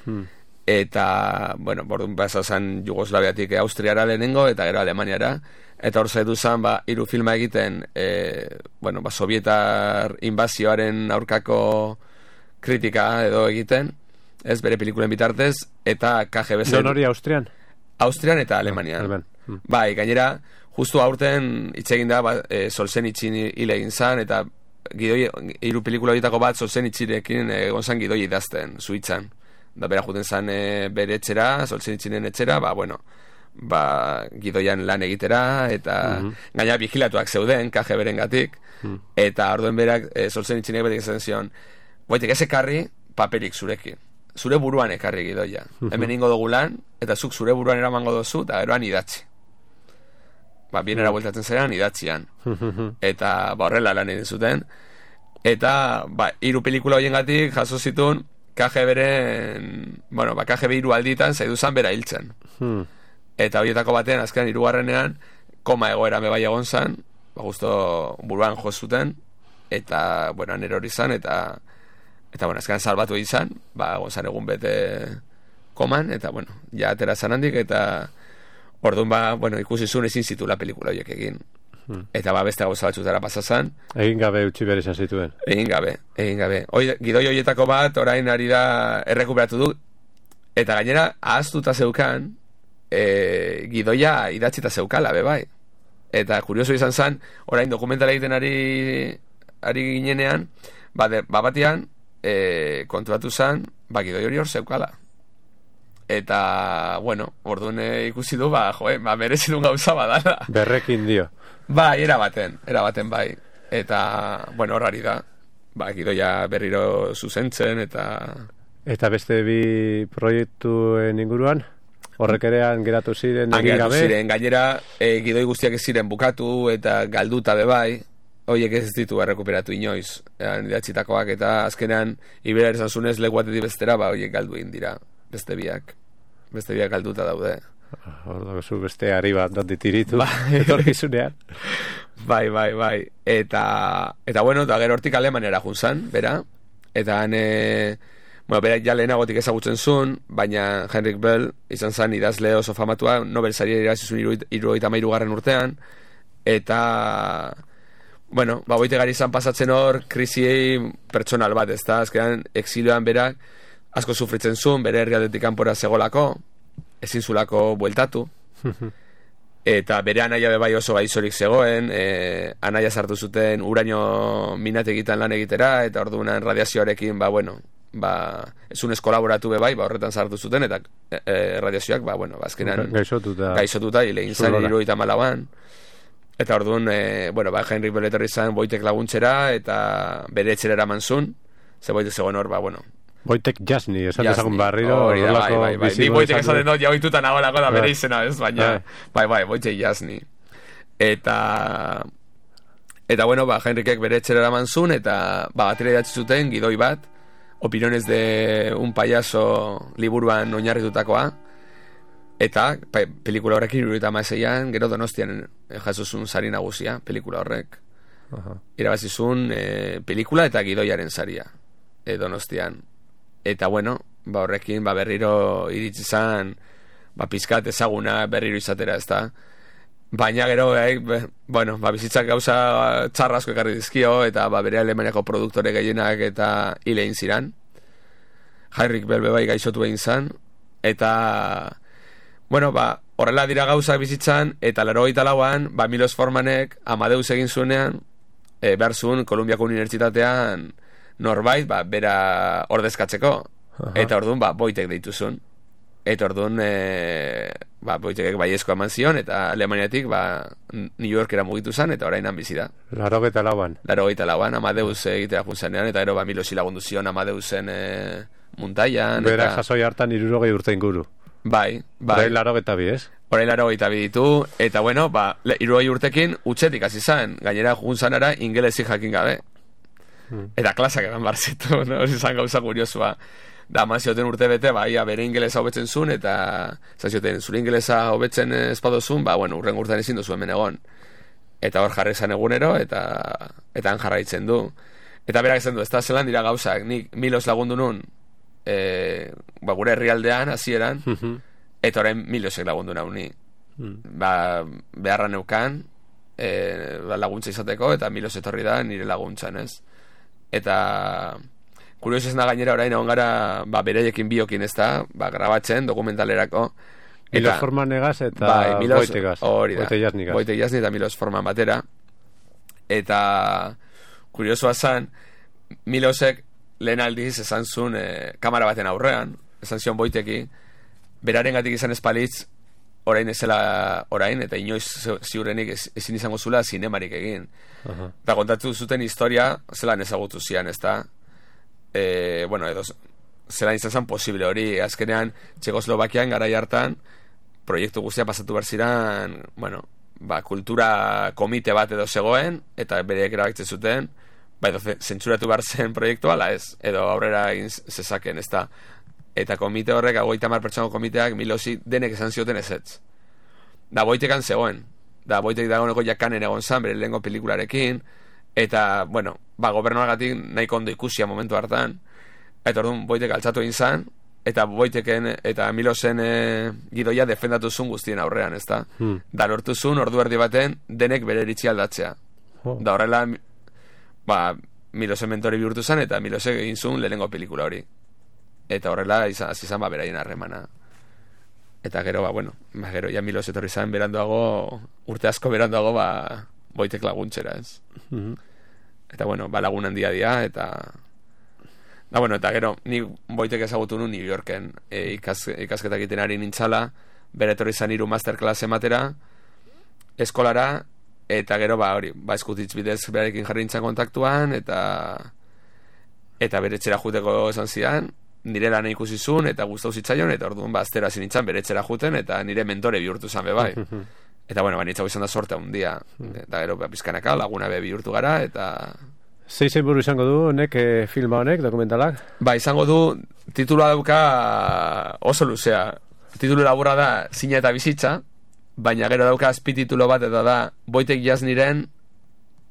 Hmm. Eta, bueno, orduan basa zan Jugoslaviatik Austriara lehenengo, eta gero Alemaniara, eta hor zaitu zan, ba, hiru filma egiten, e, bueno, ba, sovietar invazioaren aurkako kritika edo egiten, ez bere pelikulen bitartez, eta K G B zen... Non hori Austrian? Austrian eta Alemanian. Aleman. Hmm. Bai, gainera, justu aurten hitz egin da, ba, e, Solzhenitsyn hil egin zan, eta gidoi, hiru pelikula horietako bat Solzhenitsynekin egon zan gidoi idazten, Suitzan. Da bera juten zan e, bere etxera, Solzhenitsynen etxera, ba, bueno, ba, gidoian lan egitera, eta Mhm. gaina vigilatuak zeuden, K G B-ren gatik, Hmm. eta orduen berak, e, Solzhenitsynek betik esan zion, boitek ez ekarri paperik zurekin. Zure buruan ekarri gidoia. Hemen ingo dugu lan, eta zuk zure buruan eramango dozu, eta geroan idatzi. Ba, bienera bueltatzen zeran, idatzian. Eta, ba, horrela lan egin zuten. Eta, ba, hiru pelikula horiengatik jaso zituen K G B-ren, bueno, ba, K G B hiru alditan zaidu zan bera hiltzen. Hmm. Eta horietako batean, azkenan hirugarrenean, koma egoera me bai egon zan, ba, justo buruan jo zuten, eta, bueno, nero hori zan, eta eta, bueno, azkenan salbatu izan, ba, gonzan egun bete koman, eta, bueno, ja atera zan handik, eta orduan, ba, bueno, ikusi zuen ezin zitula pelikula horiek egin. Hmm. Eta, ba, beste gauza batzutara pasazan, Egin gabe utzi behar izan zituen. egin gabe, egin gabe. Hoi, gidoi horietako bat, orain ari da errekuperatu du, eta gainera, ahaztuta zeukan, e, gidoia idatzita zeukala, be bai. Eta kurioso izan zen, orain dokumentala egiten ari, ari ginenean, ba, de, ba batean, e, konturatu zen, ba, gidoi hori hor zeukala. Eta, bueno, orduan e, ikusi du, ba, joe, ba, merezidun gauza badala. Berrekin dio. Bai, era baten, era baten bai. Eta, bueno, horari da. Ba, gidoia berriro zuzentzen, eta... Eta beste bi proiektuen inguruan? Horrek erean geratu ziren egin Geratu gabe? ziren, gainera, e, gidoi guztiak ez ziren bukatu, eta galduta be bai, horiek ez ditu errekuperatu inoiz, eran idatzitakoak, eta azkenean, ibera esan zunez, leku batetik bestera, ba, horiek galdu egin dira, beste biak, beste biak galduta daude. Ordo, zu beste ari bat dut ditiritu. Bai. Etorkizunean. Bai, bai, bai. Eta, eta bueno, eta gero hortik Alemaniara junzan, bera. Eta han, e, bueno, bera ja lehenagotik ezagutzen zuen, baina Heinrich Böll izan zen idazle oso famatua, Nobel saria irabazi zuen hirurogeita hamairu garren urtean, eta, bueno, ba, boite gari izan pasatzen hor, krisiei pertsonal bat, ez da, azkenan exilioan berak asko sufritzen zuen, bere herrialdetik kanpora zegolako, ezin zulako bueltatu, eta bere anaia bebai oso gaizorik zegoen, e, anaia sartu zuten uraino minategitan lan egitera, eta orduan radiazioarekin, ba, bueno, ba, ezunez kolaboratu bebai, ba, horretan sartu zuten, eta e, e, radiazioak, ba, bueno, ba, azkenan Gaixotuta. gaixotuta, hile egin zan, hirurogeita hamalauan, eta orduan, e, bueno, ba, Heinrich Böll etorri zan boitek laguntzera, eta bere etxera eraman zuen, ze boitek zegoen hor, ba, bueno, Boitek jasni, esan Jasni. dezagun barriro. Hori da, bai, horrelako bai, bai. Ni bizidunen boitek esan esaten du. dut, ja oituta nagoelako da bere Bai. izena, ez? Baina, bai, bai, boitek jasni. Eta, eta bueno, ba, Heinrichek bere etxera eraman zuen, eta, ba, batera idatzi zuten, gidoi bat, opiniones de un payaso liburuan oinarritutakoa, eta, pa, pelikula horrekin hirurogeita hamaseian, gero Donostian jaso zuen sari nagusia, pelikula horrek. Aha. Irabazi zuen e, pelikula eta gidoiaren saria, e, Donostian. Eta bueno, ba horrekin ba berriro iritsi zan, ba pizkat ezaguna berriro izatera, ezta. Baina gero eh, be, bueno, ba bizitzak gauza txarra asko ekarri dizkio, eta ba bere Alemaniako produktore gehienak eta hil egin ziran. Heinrich Böll bai gaixotu egin zan, eta bueno, ba horrela dira gauzak bizitzan, eta laurogeita lauan ba Milos Formanek Amadeus egin zuenean, e, behar zuen Kolumbiako Unibertsitatean norbait, ba, bera ordezkatzeko. Aha. Eta orduan, ba, boitek deitu zuen. Eta orduan, e, ba, boitekek baiezko eman zion, eta Alemaniatik, ba, New Yorkera mugitu zen, eta orainan bizi da. Laurogeita lauan. Laurogeita lauan, Amadeus egitera junzanean, eta ero, ba, Milosi lagundu zion Amadeusen e, muntaian. Berak sasoi hartan irurogei urte inguru. Bai, bai. Orain laro eta bi, ez? Orain laro eta bi ditu, eta bueno, ba, irurogei urtekin utxetik hasi zan, gainera jugun zanara ingelesi jakin gabe. Hmm. Eta klasak eman barzitu, no? Zizan gauza kuriosua. Da, mazioten urte bete, ba, ia bere ingelesa hobetzen zuen, eta zazioten zure ingelesa hobetzen espadozun, ba, bueno, urren urtean ezin duzu hemen egon. Eta hor jarri zan egunero, eta eta han jarraitzen du. Eta berak esan du, ez da zelan dira gauzak, nik milos lagundu nun, e, ba, gure herrialdean, hasieran, eta orain milosek lagundu nahu ni. Ba, beharra neukan, e, ba, laguntza izateko, eta milos etorri da nire laguntzan, ez? Eta kurioso ez da gainera orain egon gara, ba, bereiekin biokin, ez da, ba, grabatzen, dokumentalerako. Milos Forman negaz eta bai, Milos, Boitegaz. Hori da, Boite Jasnigaz. Boite Jasni eta Milos Forman batera. Eta kuriosoa zan, Milosek lehen aldiz esan zuen e, kamera baten aurrean, esan zion Boiteki, beraren gatik izan espalitz, orain ezela orain, eta inoiz ziurrenik ez, ezin izango zula zinemarik egin. Uh-huh. Eta kontatu zuten historia, zelan ezagutu zian, ez da? E, bueno, edo zelan izan zen posible hori, azkenean Txekoslovakian garai hartan proiektu guztia pasatu behar ziren, bueno, ba, kultura komite bat edo zegoen, eta bereek erabakitzen zuten, ba, edo zentsuratu behar zen proiektua, ala ez, edo aurrera egin zezaken, ez da. Eta komite horrek, hogeita hamar pertsonako komiteak, Milosi denek esan zioten ezetz. Da, Boitekan zegoen, da, Boitek dagoeneko jakanen egon zan, bere lehenko pelikularekin, eta, bueno, ba, gobernuagatik nahiko ondo ikusia momentu hartan, eta orduan Boitek altzatu egin zan, eta Boiteken eta Milosen e, gidoia defendatu zuen guztien aurrean, ez da? Hmm. Da, lortu zuen ordu erdi baten denek bere iritsi aldatzea. Oh. Da, horrela, ba, Milosen mentori bihurtu zen, eta Milosek egin zuen lehenengo pelikula hori. Eta horrela, izan, izan ba, beraien harremana. Eta gero, ba, bueno, ba, gero, ja Milos etorri zen beranduago, urte asko beranduago, ba, Boitek laguntzera, ez? Mm-hmm. Eta, bueno, ba, lagun handia dia, eta... Da, bueno, eta gero, ni Boitek ezagutu nu New Yorken e, ikaz, ikasketak egiten ari nintzala, bere etorri zen hiru masterclass ematera, eskolara, eta gero, ba, hori, ba, eskutitz bidez berarekin jarri nintzen kontaktuan, eta eta bere etxera juteko esan zidan, nire lan ikusi zuen, eta gustau zitzaion, eta orduan, ba, aztera zinintzen bere etxera juten, eta nire mentore bihurtu zen, be bai. Eta, bueno, ba, nitzago izan da sorte handia, eta gero, ba, pizkanaka, laguna be bihurtu gara, eta... Zei zein buru izango du, honek, e, filma honek, dokumentalak? Ba, izango du, titulua dauka oso luzea. Titulu laburra da, Zina eta bizitza, baina gero dauka azpititulo bat, eta da, Boitek Jasniren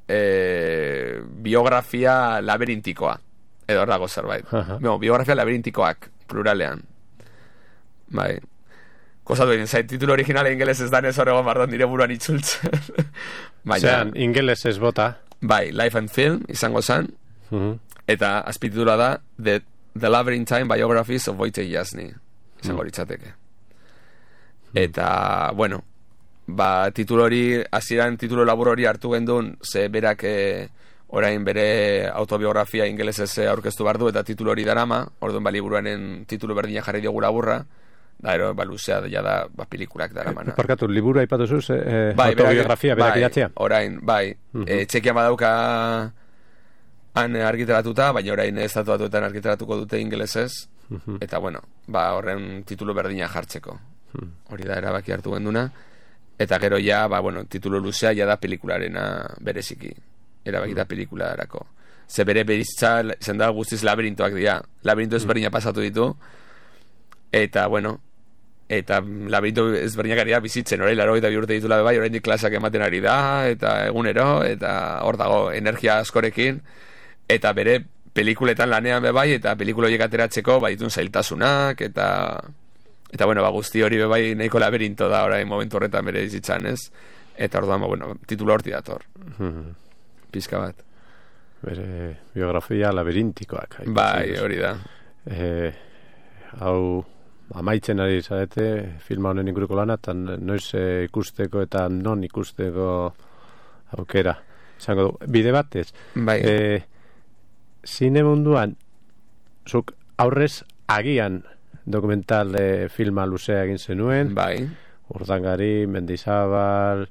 e, biografia labirintikoa. Edo hor dago zerbait. Uh-huh. No, biografia labirintikoak, pluralean. Bai. Kosatu egin, zait, titulu originale ingeles ez danez horregon bardot nire buruan itzultzen. Zeran, ingeles ez bota. Bai, Life and Film, izango zen, uh-huh. Eta azpititula da The, The Labyrinthine Biographies of Wojciech Jasny, izango litzateke. Uh-huh. Eta, bueno, ba, titulu hori, hasieran titulu labur hori hartu gendun, ze berak eh, orain bere autobiografia ingelesez aurkeztu bardu, eta titulu hori darama, orduan ba, liburuaren titulu berdina jarri diogu laburra, da, ero, ba, luzea, ja da, ba, pelikulak daramana. Parkatu, liburu aipatu zuz, eh, bai, autobiografia, berak bai, idatzea? Orain, bai, uh-huh. e, txekian badauka han argitaratuta, baina orain estatu batuetan argitaratuko dute ingelesez, uh-huh. Eta, bueno, ba, horren titulu berdina jartzeko. Uh-huh. Hori da, erabaki hartu genduna, eta gero ja, ba, bueno, titulu luzea ja da pelikularena bereziki, erabaki da pelikularako. Ze bere beriztza, zen da guztiz labirintoak dira, labirinto ezberdina pasatu ditu, eta, bueno, eta labirinto ezberdinak ari da bizitzen, orain laro eta bi urte ditula bai, orain klasak ematen ari da, eta egunero, eta hor dago energia askorekin, eta bere pelikuletan lanean be bai, eta pelikula horiek ateratzeko ba ditun zailtasunak, eta eta bueno, ba guzti hori be bai nahiko laberinto da orain momentu horretan bere bizitzan, ez? Eta orduan, ba, bueno, titulu horti dator. Pizka bat. Bere biografia labirintikoak. Bai, hori da. Eh, hau amaitzen ari zarete filma honen inguruko lana, eta noiz e, ikusteko eta non ikusteko aukera izango du. Bide batez, bai. E, zine munduan zuk aurrez agian dokumental e, filma luzea egin zenuen, bai. Urdangari, Mendizabal,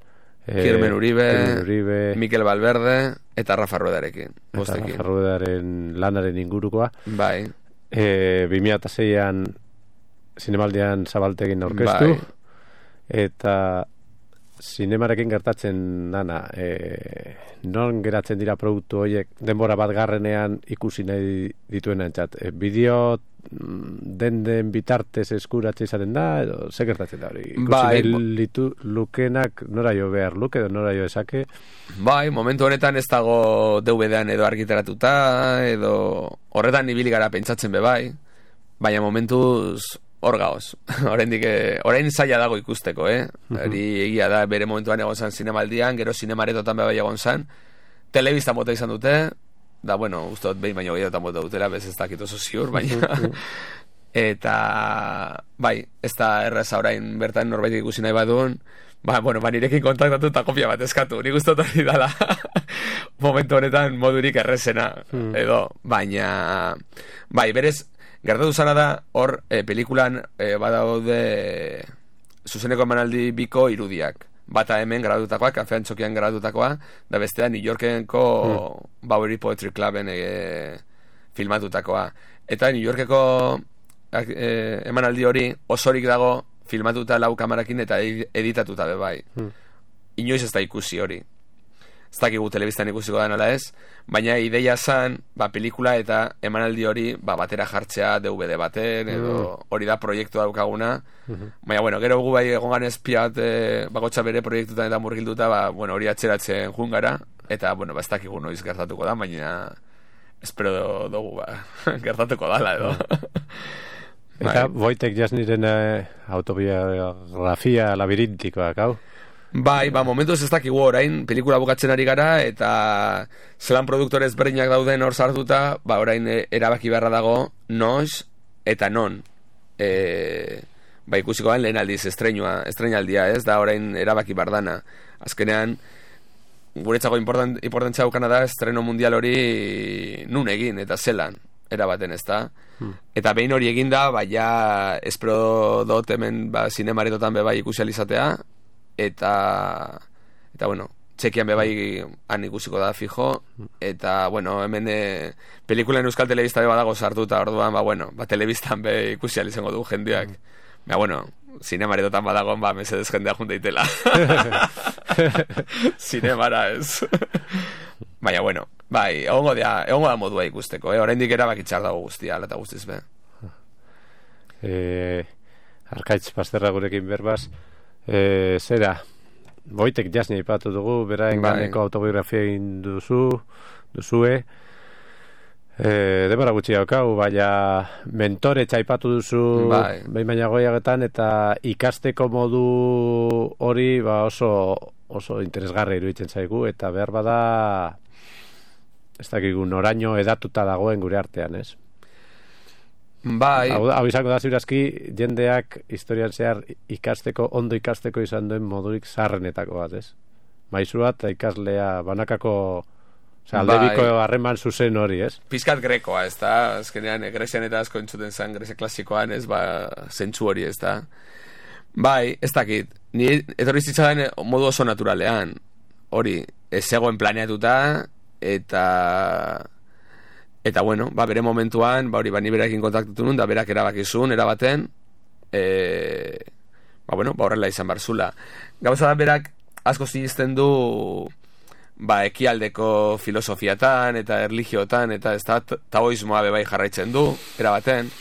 e, Kirmen Uribe, Kirmen Uribe, Mikel Valverde eta Rafa Ruedarekin. Eta Rafa Ruedaren lanaren ingurukoa. Bai. e, bi mila seian zinemaldian zabaltegin aurkeztu, bai. Eta zinemarekin gertatzen dana, e, non geratzen dira produktu horiek denbora bat garrenean ikusi nahi dituen entzat. E, bideo den den bitartez eskuratze izaten da, edo ze gertatzen da hori? Ikusi bai, nahi litu, lukenak nora jo behar luke, edo nora jo esake? Bai, momentu honetan ez dago D V D-an edo argitaratuta, edo horretan ibili gara pentsatzen be bai, baina momentuz hor gaoz. Oraindik orain zaila dago ikusteko, eh? Hori egia da, bere momentuan egon zan zinemaldian, gero zinemaretotan be bai egon zan, telebista mota izan dute, da, bueno, ustot behin baino gehiagotan mota dutela, bez ez dakit oso ziur, baina eta bai, ez da erraza orain bertan norbait ikusi nahi badun, ba, bueno, ba, nirekin kontaktatu eta kopia bat eskatu, nik ustot hori dala momentu honetan modurik errezena, edo, baina bai, berez gertatu zara da, hor, e, pelikulan e, badaude zuzeneko emanaldi biko irudiak. Bata hemen gradutakoa, kafean txokian gradutakoa, da bestea New Yorkenko mm. Bowery Poetry Cluben e, filmatutakoa. Eta New Yorkeko e, emanaldi hori osorik dago filmatuta lau kamarakin eta editatuta be bai. Mm. Inoiz ez da ikusi hori. Ez dakigu telebistan ikusiko da nola ez, baina ideia zan, ba, pelikula eta emanaldi hori ba, batera jartzea D V D baten, edo hori da proiektu daukaguna. Mm-hmm. Baina, bueno, gero gu bai egon ganez pia bat e, bagotxa bere proiektutan eta murgilduta, ba, bueno, hori atzeratzen jungara, eta, bueno, ba, ez dakigu noiz gertatuko da, baina espero dugu, ba, gertatuko dala, edo. Eta Wojtek Jasniren eh, autobiografia labirintikoak, hau? Bai, ba, momentuz ez dakigu orain, pelikula bukatzen ari gara, eta zelan produktore ezberdinak dauden hor sartuta, ba, orain erabaki beharra dago, noiz eta non. E, ba, ikusiko den lehen aldiz, estreinua, estreinaldia, ez, da orain erabaki bardana. Azkenean, guretzako important, importantzia daukana da, estreno mundial hori nun egin, eta zelan, erabaten, ez da. Hmm. Eta behin hori eginda, ba, ja, espero dut hemen, ba, zinemaretotan be bai ikusializatea, eta eta bueno, txekian be bai han ikusiko da fijo, eta bueno, hemen e, pelikulen euskal telebista be badago sartuta, orduan ba bueno, ba telebistan be ikusi ahal izango du jendeak. Ba bueno, zinemaretotan badago, ba mesedez jendea junta itela. Zinemara ez. Baina bueno, bai, egongo da, egongo da modua ikusteko, eh, oraindik erabakitzar dago guztia, ala ta guztiz be. Eh, Arkaitz Pasterra gurekin berbaz. E, zera, Wojtek Jasni ipatu dugu, beraen bai. Ganeko autobiografia egin duzu, duzue, e, demora gutxi daukau, baina mentore txaipatu duzu bai. Behin baina goiagetan, eta ikasteko modu hori ba oso, oso interesgarri iruditzen zaigu, eta behar bada, ez dakigu, noraino edatuta dagoen gure artean, ez? Bai. Hau, hau izango da ziurazki, jendeak historian zehar ikasteko, ondo ikasteko izan duen modurik zarrenetako bat, ez? Maizu bat, ikaslea banakako, oza, aldebiko bai. Harreman zuzen hori, ez? Pizkat grekoa, ez da? Azkenean, Grezian eta asko entzuten zen, Grezia klasikoan, ez, ba, zentzu hori, ez da? Bai, ez dakit, ni etorri zitzaren modu oso naturalean, hori, ez zegoen planeatuta, eta... Eta bueno, ba, bere momentuan, ba, hori, ba, ni berakin kontaktatu nun, da berak erabakizun, erabaten, e, ba, bueno, ba, horrela izan barzula. Gauza da, berak asko zizten du, ba, ekialdeko filosofiatan, eta erligiotan, eta ez da, taoismoa bebai jarraitzen du, erabaten,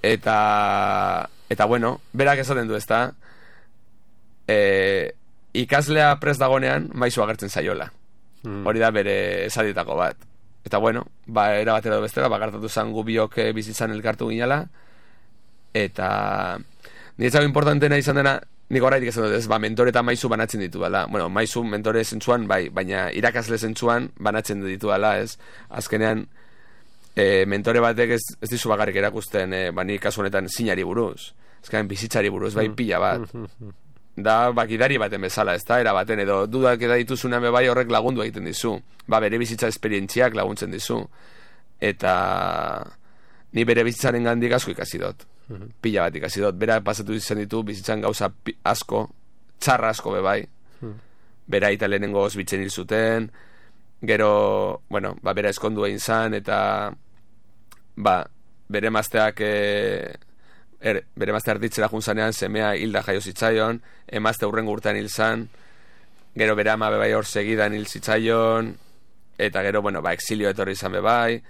eta, eta bueno, berak esaten du, ez da, e, ikaslea prest dagonean, maizu agertzen zaiola. Mm. Hori da bere esadietako bat. Eta bueno, ba, era batera edo bestera, ba, gartatu zan gu biok bizitzan elkartu ginala, eta niretzago importantena izan dena, nik horretik esan dut ez, ba, mentore eta maizu banatzen ditu bala. Bueno, maizu mentore zentzuan, bai, baina irakasle zentzuan banatzen ditu bala, ez. Azkenean, e, mentore batek ez, ez dizu bakarrik erakusten, e, ba, nik kasu honetan zinari buruz. Azkenean, bizitzari buruz, bai, pila bat. Da, bakidari baten bezala, ez da, era baten, edo dudak eda dituzunean bebai horrek lagundu egiten dizu, ba, bere bizitza esperientziak laguntzen dizu, eta ni bere bizitzaren gandik asko ikasi dut, uh-huh. Pila bat ikasi dut, bera pasatu izan ditu bizitzan gauza asko, txarra asko bebai, uh-huh. Bera eta lehenengo osbitzen hil zuten, gero, bueno, ba, bera eskondu egin zan, eta ba, bere mazteak e, er, bere mazte arditzera junzanean semea hilda jaio zitzaion, emazte hurrengo urtean hil zan, gero bere ama bebai hor segidan hil zitzaion, eta gero, bueno, ba, exilio etorri izan bebai,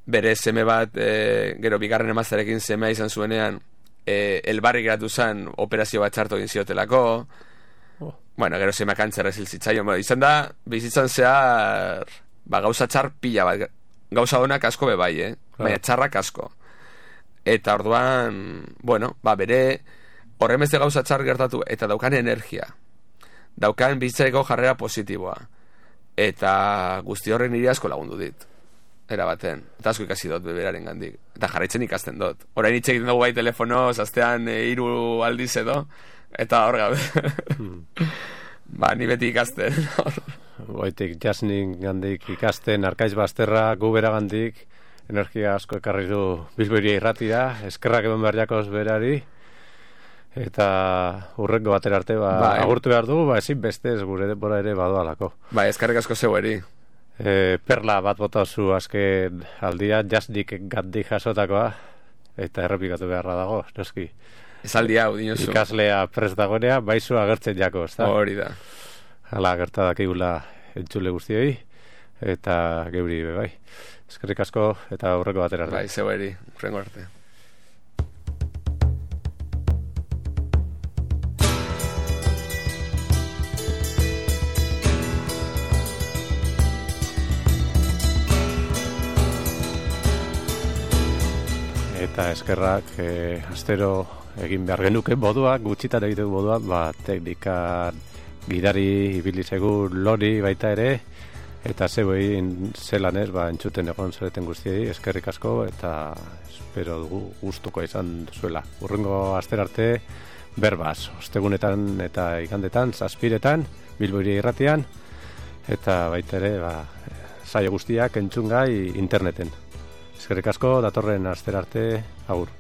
bere seme bat, e, gero bigarren emazterekin semea izan zuenean, e, elbarri geratu zen operazio bat txarto egin ziotelako, oh. Bueno, gero semea kantzerra hil zitzaion, bueno, izan da, bizitzan zehar, ba, gauza txar pila bat, gauza honak asko bebai, eh? Claro. Baina txarrak asko. Eta orduan, bueno, ba, bere horren beste gauza txar gertatu, eta daukan energia, daukan bizitzareko jarrera positiboa, eta guzti horren niri asko lagundu dit, era baten, eta asko ikasi dut beberaren gandik, eta jarraitzen ikasten dut. Orain hitz egiten dugu bai telefonoz, astean e, hiru aldiz edo, eta hor gabe. Hmm. Ba, ni beti ikasten. Boitik, jasnin gandik ikasten, Arkaiz Basterra, gubera gandik, energia asko ekarri du Bilboiri irratira, eskerrak eman behar jakoz berari, eta urrengo batera arte, ba, ba agurtu behar dugu, ba, ezin bestez gure denbora ere badoalako. Ba, eskerrak asko zeueri. E, perla bat botazu azken aldia, jasnik gandik jasotakoa, eta errepikatu beharra dago, noski. Esaldi hau, dinosu. Ikaslea prest dagoenea, baizu agertzen jako, ezta? Hori da. Hala, gertadak egula entzule guztioi, eta geuri bebai. Eskerrik asko, eta aurreko batera arte. Bai, zeueri, urrengo arte. Eta eskerrak eh, astero egin behar genuke moduak, gutxitan egiteko moduak, ba, teknikan gidari ibili segur lori baita ere, eta zeuei zelan ez, ba, entzuten egon zareten guztiei, eskerrik asko, eta espero dugu gustuko izan zuela. Urrengo astera arte berbaz, ostegunetan eta igandetan, zazpiretan, Bilboiri irratian, eta baita ere, ba, saio guztiak entzungai interneten. Eskerrik asko, datorren astera arte, agur.